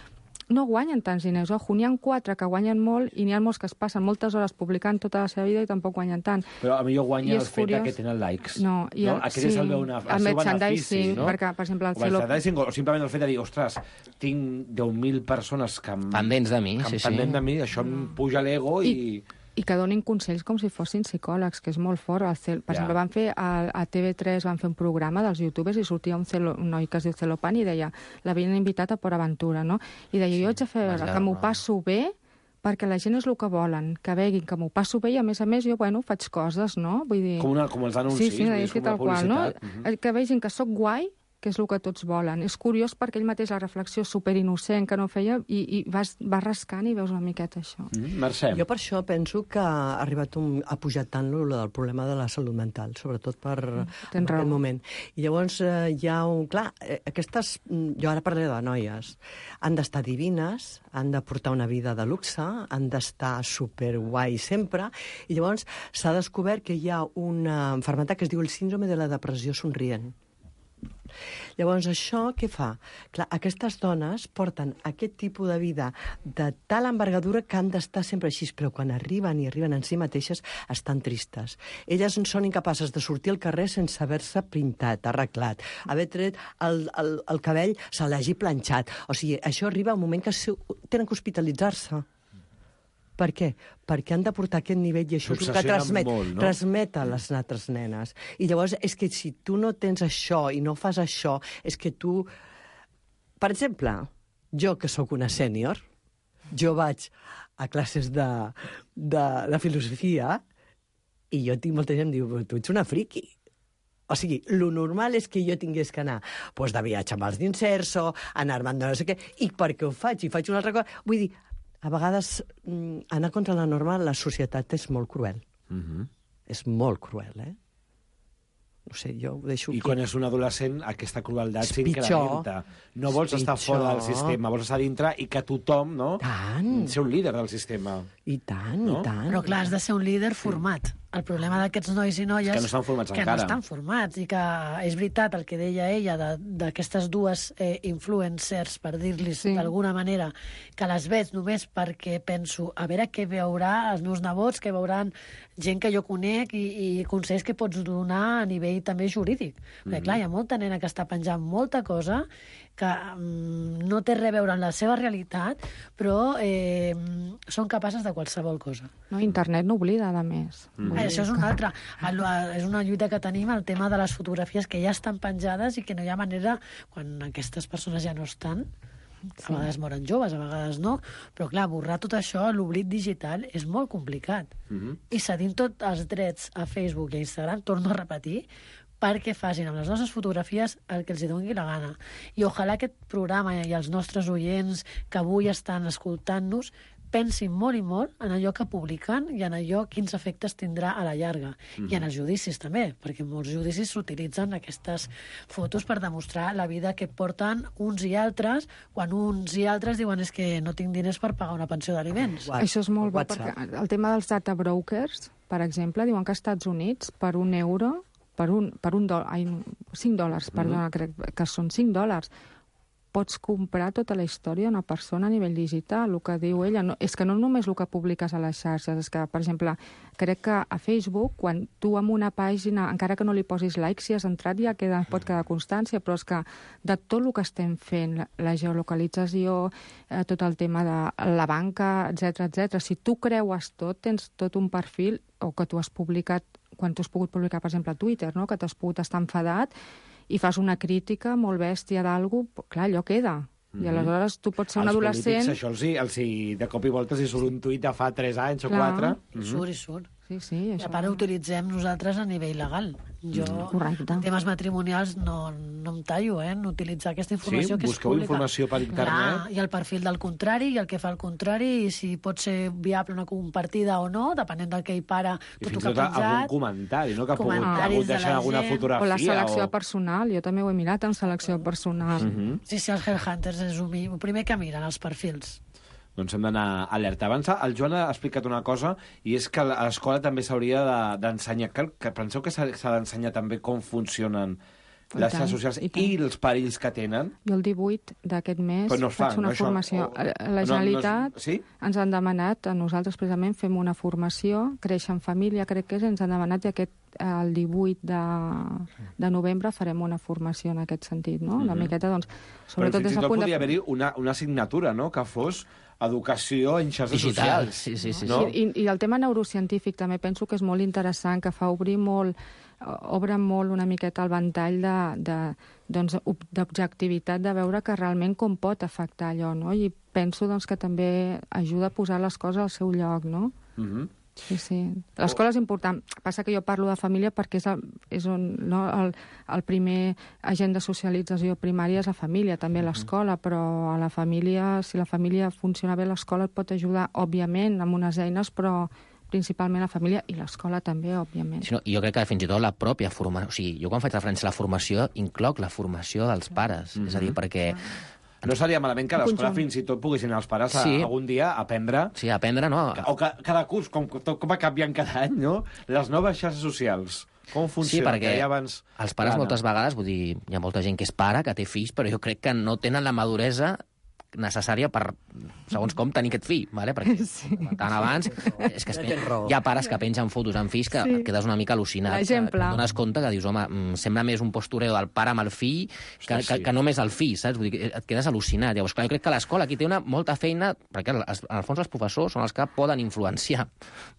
no guanyen tants diners. Ojo, n'hi ha quatre que guanyen molt i n'hi ha molts que es passen moltes hores publicant tota la seva vida i tampoc guanyen tant. Però a millor guanya el fet que tenen likes. No, i el, no? Aquest sí, és el, el, el el seu benefici, no? Perquè, per exemple, el o, el merchandising, o simplement el fet de dir, ostres, tinc deu mil persones que em, pendents de mi, que sí, em pendents sí. de mi, això em puja l'ego i... I... i que donin consells com si fossin psicòlegs, que és molt fort. El cel... Per ja. exemple, van fer a, a T V tres van fer un programa dels youtubers i sortia un, celo... un noi que es diu Celopan i deia, l'havien invitat a Port Aventura, no? I deia, jo haig de fer Vaja, que m'ho no. passo bé perquè la gent és el que volen, que veguin que m'ho passo bé i, a més a més, jo, bueno, faig coses, no? Vull dir... Com, una, com els anuncis, sí, sí, és com tal la publicitat. Qual, no? Uh-huh. Que vegin que sóc guai, que és el que tots volen. És curiós perquè ell mateix la reflexió superinnocent que no feia i, i vas, vas rascant i veus una miqueta això. Mm, Mercè. Jo per això penso que ha arribat un, ha pujat tant lo del problema de la salut mental, sobretot per en aquest moment. I llavors eh, hi ha un... Clar, eh, aquestes... Jo ara parlaré de noies. Han d'estar divines, han de portar una vida de luxe, han d'estar superguai sempre, i llavors s'ha descobert que hi ha una malaltia que es diu el síndrome de la depressió somrient. Llavors, això què fa? Clar, aquestes dones porten aquest tipus de vida de tal envergadura que han d'estar sempre així, però quan arriben i arriben en si mateixes estan tristes. Elles són incapaces de sortir al carrer sense haver-se pintat, arreglat, haver tret el, el, el cabell, se l'hagi planxat. O sigui, això arriba a un moment que tenen que hospitalitzar-se. Per què? Perquè han de portar aquest nivell i això és el que transmet, molt, no? transmet a les altres nenes. I llavors és que si tu no tens això i no fas això, és que tu... Per exemple, jo que sóc una sènior, jo vaig a classes de, de, de filosofia i jo tinc molta gent que diu, tu ets una friqui. O sigui, lo normal és que jo tingués que anar pues, de viatge amb els d'Inserso, anar-me'n de no sé què, i perquè ho faig, i faig una altra cosa... Vull dir, a vegades anar contra la norma la societat és molt cruel. Uh-huh. És molt cruel, eh? No sé, jo ho deixo I aquí. quan és un adolescent, aquesta crueldat s'incrementa. No vols estar fora del sistema, vols estar dintre i que tothom, no? Tant. Ser un líder del sistema. I tant, no? i tant. Però clar, has de ser un líder format. El problema d'aquests nois i noies... Que no estan formats que encara. Que no estan formats i que és veritat el que deia ella d'aquestes dues eh, influencers, per dir-los sí. d'alguna manera, que les veig només perquè penso a veure què veurà els meus nebots, què veuran gent que jo conec i, i consells que pots donar a nivell també jurídic. Mm-hmm. Perquè clar, hi ha molta nena que està penjant molta cosa que mm, no té res a veure amb la seva realitat, però eh, són capaces de qualsevol cosa. No, internet no oblida, a més. Mm. Eh, això és una altra. El, és una lluita que tenim, el tema de les fotografies que ja estan penjades i que no hi ha manera, quan aquestes persones ja no estan, a vegades moren joves, a vegades no, però clar, borrar tot això, l'oblit digital, és molt complicat. Mm-hmm. I cedint tots els drets a Facebook i a Instagram, torno a repetir, perquè facin amb les nostres fotografies el que els doni la gana. I ojalà aquest programa i els nostres oients que avui estan escoltant-nos pensin molt i molt en allò que publiquen i en allò quins efectes tindrà a la llarga. Mm-hmm. I en els judicis també, perquè en molts judicis s'utilitzen aquestes fotos per demostrar la vida que porten uns i altres, quan uns i altres diuen és que no tinc diners per pagar una pensió d'aliments. Això és molt bo, perquè el tema dels data brokers, per exemple, diuen que als Estats Units per un euro per un, per un dòlar, ai, cinc dòlars, perdona, mm-hmm. crec que són cinc dòlars, pots comprar tota la història d'una persona a nivell digital. El que diu ella no, és que no només el que publiques a les xarxes, és que, per exemple, crec que a Facebook, quan tu amb una pàgina, encara que no li posis like, si has entrat ja queda, pot quedar constància, però és que de tot el que estem fent, la, la geolocalització, eh, tot el tema de la banca, etcètera, etcètera, si tu creues tot, tens tot un perfil, o que tu has publicat, quan tu has pogut publicar, per exemple, a Twitter, no? Que t'has pogut estar enfadat, i fas una crítica molt bèstia d'algú, clar, allò queda. Mm-hmm. I aleshores tu pots ser un adolescent... Els polítics, això els hi, els hi, de cop i volta, si surt un tuit de fa tres anys o quatre... I surt, i surt. Sí, sí, I a part ho utilitzem nosaltres a nivell legal. Jo, Correcte. en temes matrimonials, no, no em tallo, eh, en utilitzar aquesta informació sí, que és busqueu pública. Informació per internet. Clar, i el perfil del contrari, i el que fa el contrari, i si pot ser viable una compartida o no, depenent del que hi para I tot fins el que i ha tot algun penjat. comentari, no? Que ha pogut, Comentaris ha hagut de deixar la alguna gent. fotografia. O la selecció o... personal, jo també ho he mirat en selecció personal. Mm-hmm. Sí, sí, els headhunters és el primer que miren, els perfils. Doncs hem d'anar alerta. Abans el Joan ha explicat una cosa, i és que a l'escola també s'hauria d'ensenyar, que, que penseu que s'ha d'ensenyar també com funcionen les xarxes socials i, i els perills que tenen. Jo el divuit d'aquest mes no fa, faig una no, formació. Això, o... La Generalitat no, no, sí? ens han demanat, a nosaltres precisament fem una formació, Créixer en família, crec que és, ens han demanat i aquest, el divuit de, de novembre farem una formació en aquest sentit, no? Una Mm-hmm. miqueta, doncs, Però sobretot fins des i del tot punt podria de... haver-hi una, una assignatura, no?, que fos educació en xarxes Digital. socials. Sí, sí, sí. No? I, I el tema neurocientífic també penso que és molt interessant, que fa obrir molt, obre molt una miqueta el ventall de, de, doncs, d'objectivitat, de veure que realment com pot afectar allò, no? I penso doncs, que també ajuda a posar les coses al seu lloc, no? Mm-hmm. Sí, sí. L'escola és important. Passa que jo parlo de família perquè és, el, és on, no, el, el primer agent de socialització primària és la família, també l'escola, però a la família, si la família funciona bé, l'escola et pot ajudar, òbviament, amb unes eines, però principalment la família i l'escola també, òbviament. Sí, no, jo crec que fins i tot la pròpia formació... O sigui, jo quan faig referència a la formació, incloc la formació dels pares. Mm-hmm. És a dir, perquè... No seria malament que a l'escola fins i tot poguessin els pares a, sí. algun dia aprendre... Sí, aprendre, no? O que, cada curs, com, com va canviant cada any, no? Les noves xarxes socials. Com funciona? Sí, perquè que abans... els pares Plana. moltes vegades, vull dir, hi ha molta gent que és pare, que té fills, però jo crec que no tenen la maduresa necessària per, segons com, tenir aquest fill, vale? Perquè sí. Tant abans és que es pen... hi ha pares que pengen fotos amb fills que sí. quedes una mica al·lucinat. L'exemple. Que et dones compte que dius, home, sembla més un postureo del pare amb el fill que, Ostres, que, sí. que només el fill, saps? Vull dir, et quedes al·lucinat. Llavors, clar, jo crec que l'escola aquí té una molta feina, perquè en el fons els professors són els que poden influenciar,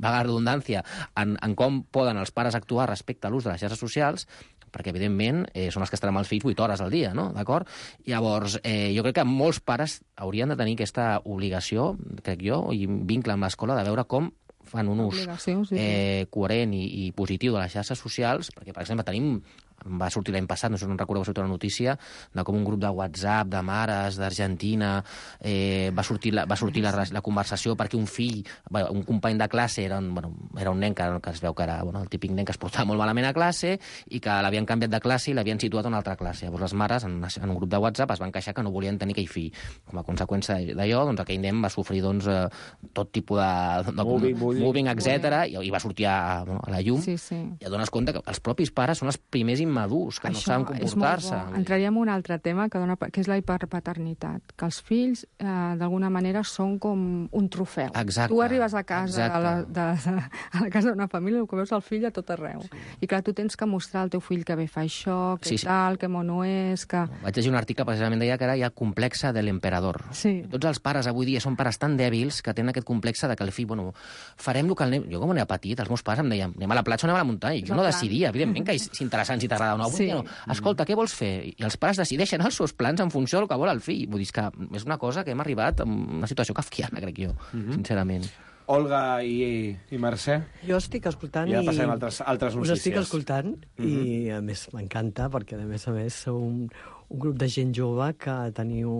vaga redundància, en, en com poden els pares actuar respecte a l'ús de les xarxes socials, perquè, evidentment, eh, són els que estan amb els fills vuit hores al dia, no? D'acord? Llavors, eh, jo crec que molts pares haurien de tenir aquesta obligació, crec jo, i vincle amb l'escola, de veure com fan un ús sí, sí. Eh, coherent i, i positiu de les xarxes socials, perquè, per exemple, tenim va sortir l'any passat, no sé si no recordo, va sortir una notícia de com un grup de WhatsApp de mares d'Argentina eh, va sortir, la, va sortir la, la conversació perquè un fill, un company de classe era un, bueno, era un nen que, que es veu que era bueno, el típic nen que es portava molt malament a classe i que l'havien canviat de classe i l'havien situat a una altra classe. Llavors les mares en, en un grup de WhatsApp es van queixar que no volien tenir aquell fill. Com a conseqüència d'allò, doncs aquell nen va sofrir doncs, eh, tot tipus de, de moving, moving, moving etcètera i, i va sortir a, bueno, a la llum sí, sí. i et dones compte que els propis pares són els primers immadurs, que Això no saben comportar-se. Entraríem en un altre tema, que, dona, que és la hiperpaternitat, que els fills, eh, d'alguna manera, són com un trofeu. Exacte. Tu arribes a casa, a la, de, de, a la casa d'una família, el que veus el fill a tot arreu. Sí. I clar, tu tens que mostrar al teu fill que bé fa això, que sí, sí. tal, que mono és, que... Vaig llegir un article, precisament, deia que ara hi ha complexe de l'emperador. Sí. Tots els pares avui dia són pares tan dèbils que tenen aquest complexe de que el fill, bueno, farem el que el nen... Jo, com era petit, els meus pares em deien, anem a la platja o anem a la muntanya. Jo no decidia, evidentment, que és interessant si t'agrada o no. Sí. No. Escolta, què vols fer? I els pares decideixen els seus plans en funció del que vol el fill. Vull dir que és una cosa que hem arribat a una situació kafkiana, crec jo, mm-hmm. sincerament. Olga i, i Mercè? Jo estic escoltant ja i... passem a altres, altres notícies. Us estic escoltant mm-hmm. i, a més, m'encanta, perquè, a més a més, sou un, un grup de gent jove que teniu...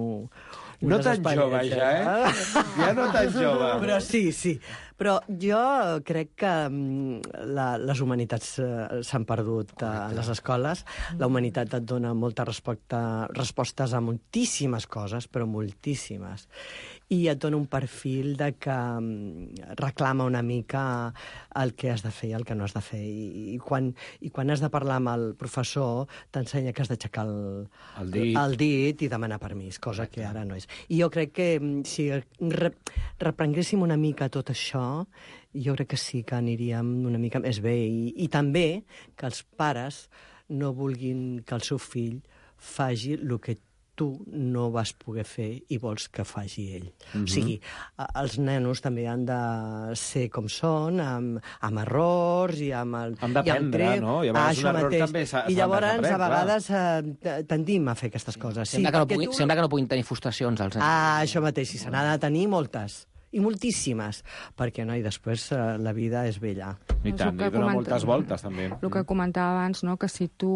No tan jove, ja, eh? Ja no tan jove. Però sí, sí. Però jo crec que la, les humanitats eh, s'han perdut a les escoles. La humanitat et dona molta resposta, respostes a moltíssimes coses, però moltíssimes. I et dona un perfil de que reclama una mica el que has de fer i el que no has de fer. I, i, quan, i quan has de parlar amb el professor, t'ensenya que has d'aixecar el, el, dit. el dit i demanar permís, cosa que ara no és. I jo crec que si re, reprenguéssim una mica tot això, jo crec que sí que aniríem una mica més bé. I, i també que els pares no vulguin que el seu fill faci el que tu no vas poder fer i vols que faci ell. Mm-hmm. O sigui, els nenos també han de ser com són, amb, amb errors i amb... El, han d'aprendre, no? I a vegades un error també s'ha I llavors, a vegades, eh, tendim a fer aquestes coses. Sembla, sí, que no pugui, tu... sembla que no puguin tenir frustracions, els nens. Ah, això mateix, si se n'ha de tenir moltes. I moltíssimes, perquè no, i després eh, la vida és bella. I tant, i dona moltes voltes, també. El que comentava abans, no?, que si tu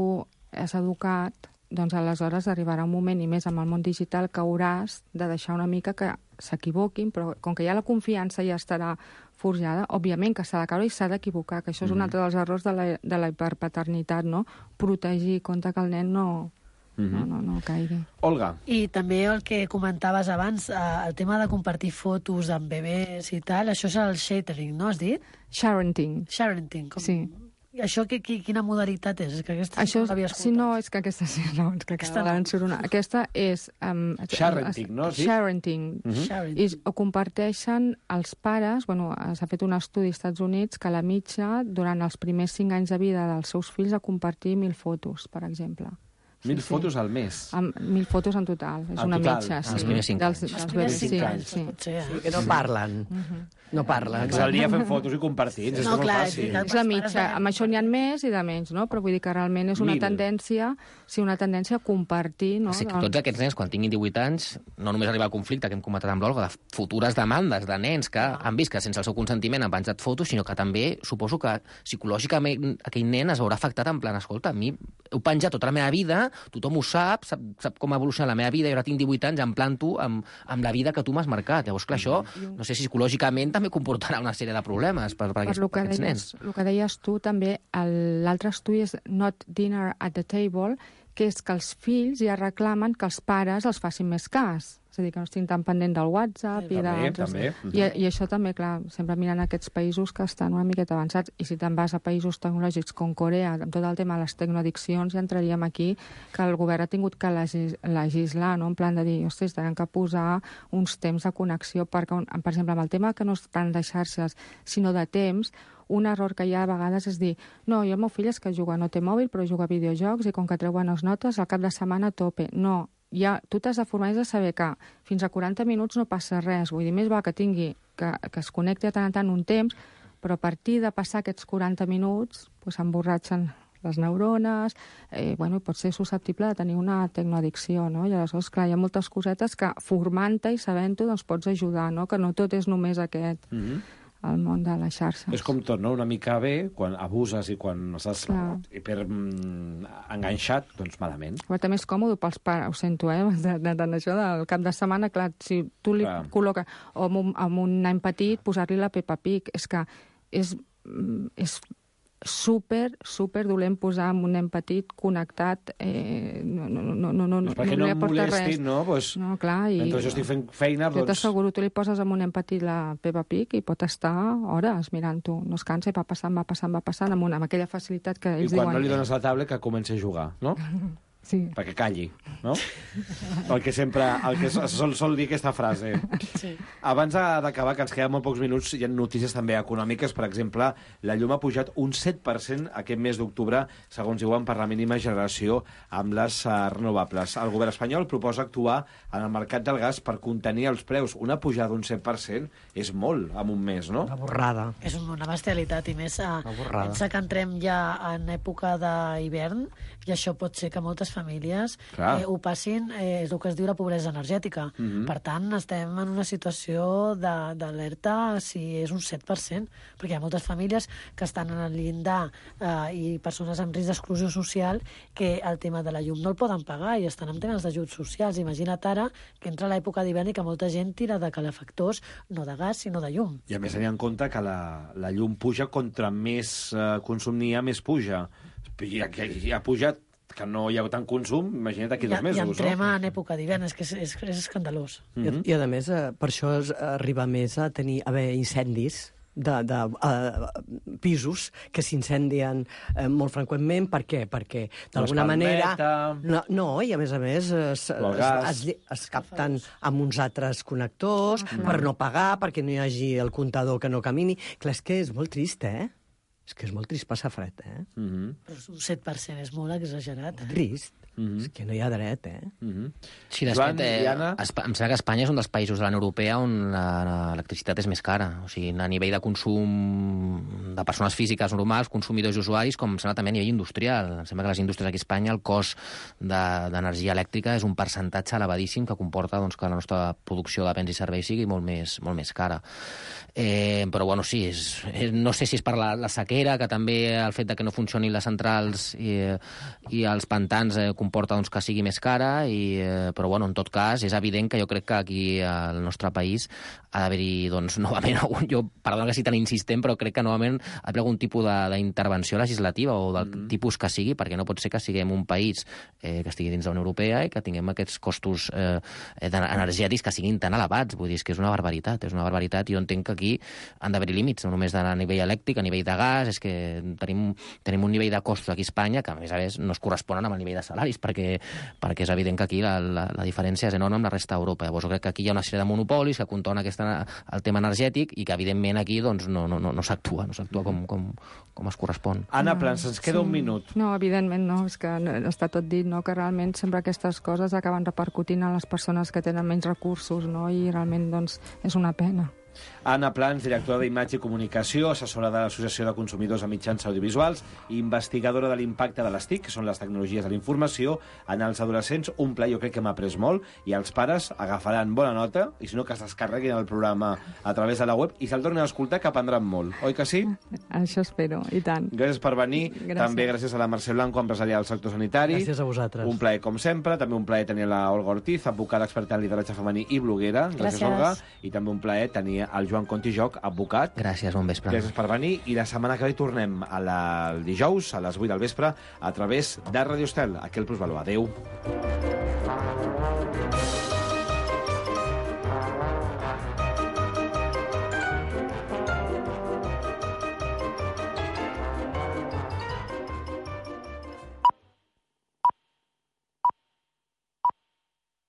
has educat, doncs aleshores arribarà un moment, i més amb el món digital, que hauràs de deixar una mica que s'equivoquin, però com que ja la confiança ja estarà forjada, òbviament que s'ha de caure i s'ha d'equivocar, que això és un altre dels errors de la, de la hiperpaternitat, no? Protegir, compte que el nen no... Mm-hmm. No, no, no caigui. Olga. I també el que comentaves abans, eh, el tema de compartir fotos amb bebès i tal, això és el sharing, no has dit? Sharenting. Sharenting. Com... Sí. Això que, que, quina modalitat és? És que aquesta Això, no l'havia escoltat. si no, és que aquesta sí, no, és que Aquesta cada no. no. surt una. Aquesta és... Um, Sharenting, no? Sí? Sharenting. Mhm. Sharenting. I ho comparteixen els pares, bueno, s'ha fet un estudi als Estats Units que la mitja, durant els primers cinc anys de vida dels seus fills, a compartir mil fotos, per exemple. Mil fotos al mes. Amb mil fotos en total, és En una total. mitja. Sí. Els primers cinc dels, anys. dels Els primers bebès, cinc sí, anys, sí. potser, eh? Sí, que no parlen. No parlen. Tot el dia fent fotos i compartits, és No, molt clar, fàcil. és És la mitja. Amb això n'hi ha més i de menys, no? Però vull dir que realment és una Mil. tendència, sí, una tendència a compartir, no? Sí, que tots aquests nens, quan tinguin divuit anys, no només arriba al conflicte que hem comentat amb l'Olga, de futures demandes de nens que han vist que sense el seu consentiment han penjat fotos, sinó que també suposo que psicològicament aquell nen es veurà afectat en plan, escolta, a mi heu penjat tota la meva vida, tothom ho sap, sap, sap com ha evolucionat la meva vida, i ara tinc divuit anys, em planto amb, amb la vida que tu m'has marcat. Llavors, clar, això, no sé si psicològicament també comportarà una sèrie de problemes per, per, Per aquests, lo per que aquests deies, nens. el que deies tu, també, el- l'altre estudi és Not Dinner at the Table, que és que els fills ja reclamen que els pares els facin més cas. És a dir, que no estiguin tan pendent del WhatsApp i També, d'altres... també. I, I això també, clar, sempre mirant aquests països que estan una miqueta avançats. I si te'n vas a països tecnològics com Corea, amb tot el tema de les tecnoaddiccions, ja entraríem aquí que el govern ha tingut que legis, legislar, no? En plan de dir, ostres, tenen que posar uns temps de connexió, perquè, per exemple, amb el tema que no és tant de xarxes, sinó de temps, un error que hi ha a vegades és dir, no, jo el meu fill és que juga, no té mòbil, però juga a videojocs i com que treu bones notes, al cap de setmana a tope. No, ja, tu t'has de formar i has de saber que fins a quaranta minuts no passa res. Vull dir, més va que tingui, que, que es connecti de tant en tant un temps, però a partir de passar aquests quaranta minuts pues, s'emborratxen les neurones, eh, bueno, pot ser susceptible de tenir una tecnoaddicció, no? I aleshores, clar, hi ha moltes cosetes que formant-te i sabent-ho doncs pots ajudar, no? Que no tot és només aquest... Mm -hmm. el món de les xarxes. És com tot, no? Una mica bé, quan abuses i quan estàs Clar. hiper mm, enganxat, doncs malament. Però també és còmode pels pares, ho sento, eh? De, de, de, això del cap de setmana, clar, si tu li Clar. col·loques, o amb un, amb un nen petit, posar-li la Peppa Pig, és que és, és super, super dolent posar amb un nen petit connectat, eh, no, no, no, no, no, Doncs perquè no, li em aporta molesti, res. no? Pues, No, clar, i... mentre jo estic fent feina, Jo doncs... t'asseguro, tu li poses amb un nen petit la Peppa Pig i pot estar hores mirant-ho. No es cansa i va passant, va passant, va passant, amb, una, amb aquella facilitat que I ells quan diuen... no li dones la taula, que comenci a jugar, no? Sí. Perquè calli, no? El que sempre... El que sol, sol dir aquesta frase. Sí. Abans d'acabar, que ens queden molt pocs minuts, hi ha notícies també econòmiques. Per exemple, la llum ha pujat un set per cent aquest mes d'octubre, segons diuen, per la mínima generació amb les uh, renovables. El govern espanyol proposa actuar en el mercat del gas per contenir els preus. Una pujada d'un set per cent és molt en un mes, no? Una borrada. És una bestialitat, i més a, borrada. pensa que entrem ja en època d'hivern, i això pot ser que moltes famílies eh, ho passin, eh, és el que es diu la pobresa energètica. Mhm. Per tant, estem en una situació de- d'alerta si és un set per cent, perquè hi ha moltes famílies que estan en el llindar eh, i persones amb risc d'exclusió social que el tema de la llum no el poden pagar i estan en temes d'ajuts socials. Imagina't ara que entra l'època d'hivern i que molta gent tira de calefactors, no de gas, sinó de llum. I a més tenir en compte que la, la llum puja, contra més eh, consum n'hi ha, més puja. I ha, i ha pujat, que no hi ha tant consum, imagina't aquí dos I, mesos, I entrem no? en època d'hivern, és que és, és, és escandalós. Mm -hmm. I, I, a més, eh, per això es arriba més a tenir a haver incendis de, de uh, pisos que s'incendien eh, molt freqüentment. Per què? Perquè, d'alguna manera... No, no, i a més a més es, es, es, es capten amb uns altres connectors Mm. per no pagar, perquè no hi hagi el comptador que no camini. Clar, és que és molt trist, eh? És que és molt trist passar fred, eh? Mm -hmm. Però un set per cent és molt exagerat. Eh? Trist. Mm-hmm. És que no hi ha dret, eh? Mm-hmm. Sí, de fet, eh, Espa em sembla que Espanya és un dels països de la Unió Europea on l'electricitat és més cara. O sigui, a nivell de consum de persones físiques normals, consumidors i usuaris, com em sembla també a nivell industrial. Em sembla que les indústries aquí a Espanya, el cost d'energia de, elèctrica és un percentatge elevadíssim que comporta doncs, que la nostra producció de béns i serveis sigui molt més, molt més cara. Eh, però, bueno, sí, és, és, no sé si és per la, la sequera, que també el fet de que no funcionin les centrals i, i els pantans eh, comporta doncs, que sigui més cara, i, eh, però bueno, en tot cas és evident que jo crec que aquí al nostre país ha d'haver-hi, doncs, novament, algun, jo, perdona que sigui tan insistent, però crec que novament ha d'haver algun tipus d'intervenció legislativa o del mm. tipus que sigui, perquè no pot ser que siguem un país eh, que estigui dins de la Unió Europea i que tinguem aquests costos eh, energètics que siguin tan elevats. Vull dir, és que és una barbaritat, és una barbaritat. Jo entenc que aquí han d'haver límits, no només a nivell elèctric, a nivell de gas, és que tenim, tenim un nivell de costos aquí a Espanya que, a més a més, no es corresponen amb el nivell de salaris, perquè, perquè és evident que aquí la, la, la diferència és enorme amb la resta d'Europa. Llavors, jo crec que aquí hi ha una sèrie de monopolis que contonen aquesta, el tema energètic i que, evidentment, aquí doncs, no, no, no, no s'actua, no s'actua com, com, com es correspon. Anna Plans, ens queda sí. un minut. No, evidentment no, és que està tot dit, no? Que realment sempre aquestes coses acaben repercutint en les persones que tenen menys recursos, no? I realment doncs, és una pena. Anna Plans, directora d'Imatge i Comunicació, assessora de l'Associació de Consumidors de Mitjans Audiovisuals i investigadora de l'impacte de les T I C, que són les tecnologies de la informació, en els adolescents. Un pla, jo crec que m'ha après molt, i els pares agafaran bona nota, i si no, que es descarreguin el programa a través de la web i se'l tornin a escoltar, que aprendran molt. Oi que sí? Això espero, i tant. Gràcies per venir. Gràcies. També gràcies a la Mercè Blanco, empresària del sector sanitari. Gràcies a vosaltres. Un plaer, com sempre. També un plaer tenir la Olga Ortiz, advocada experta en lideratge femení i bloguera. Gràcies, gràcies, Olga. I també un plaer tenir el Joan Contijoc, advocat. Gràcies, bon vespre. Gràcies per venir. I la setmana que ve tornem a la, el dijous, a les vuit del vespre, a través de Radio Estel, aquí al Plusvalor. Adéu.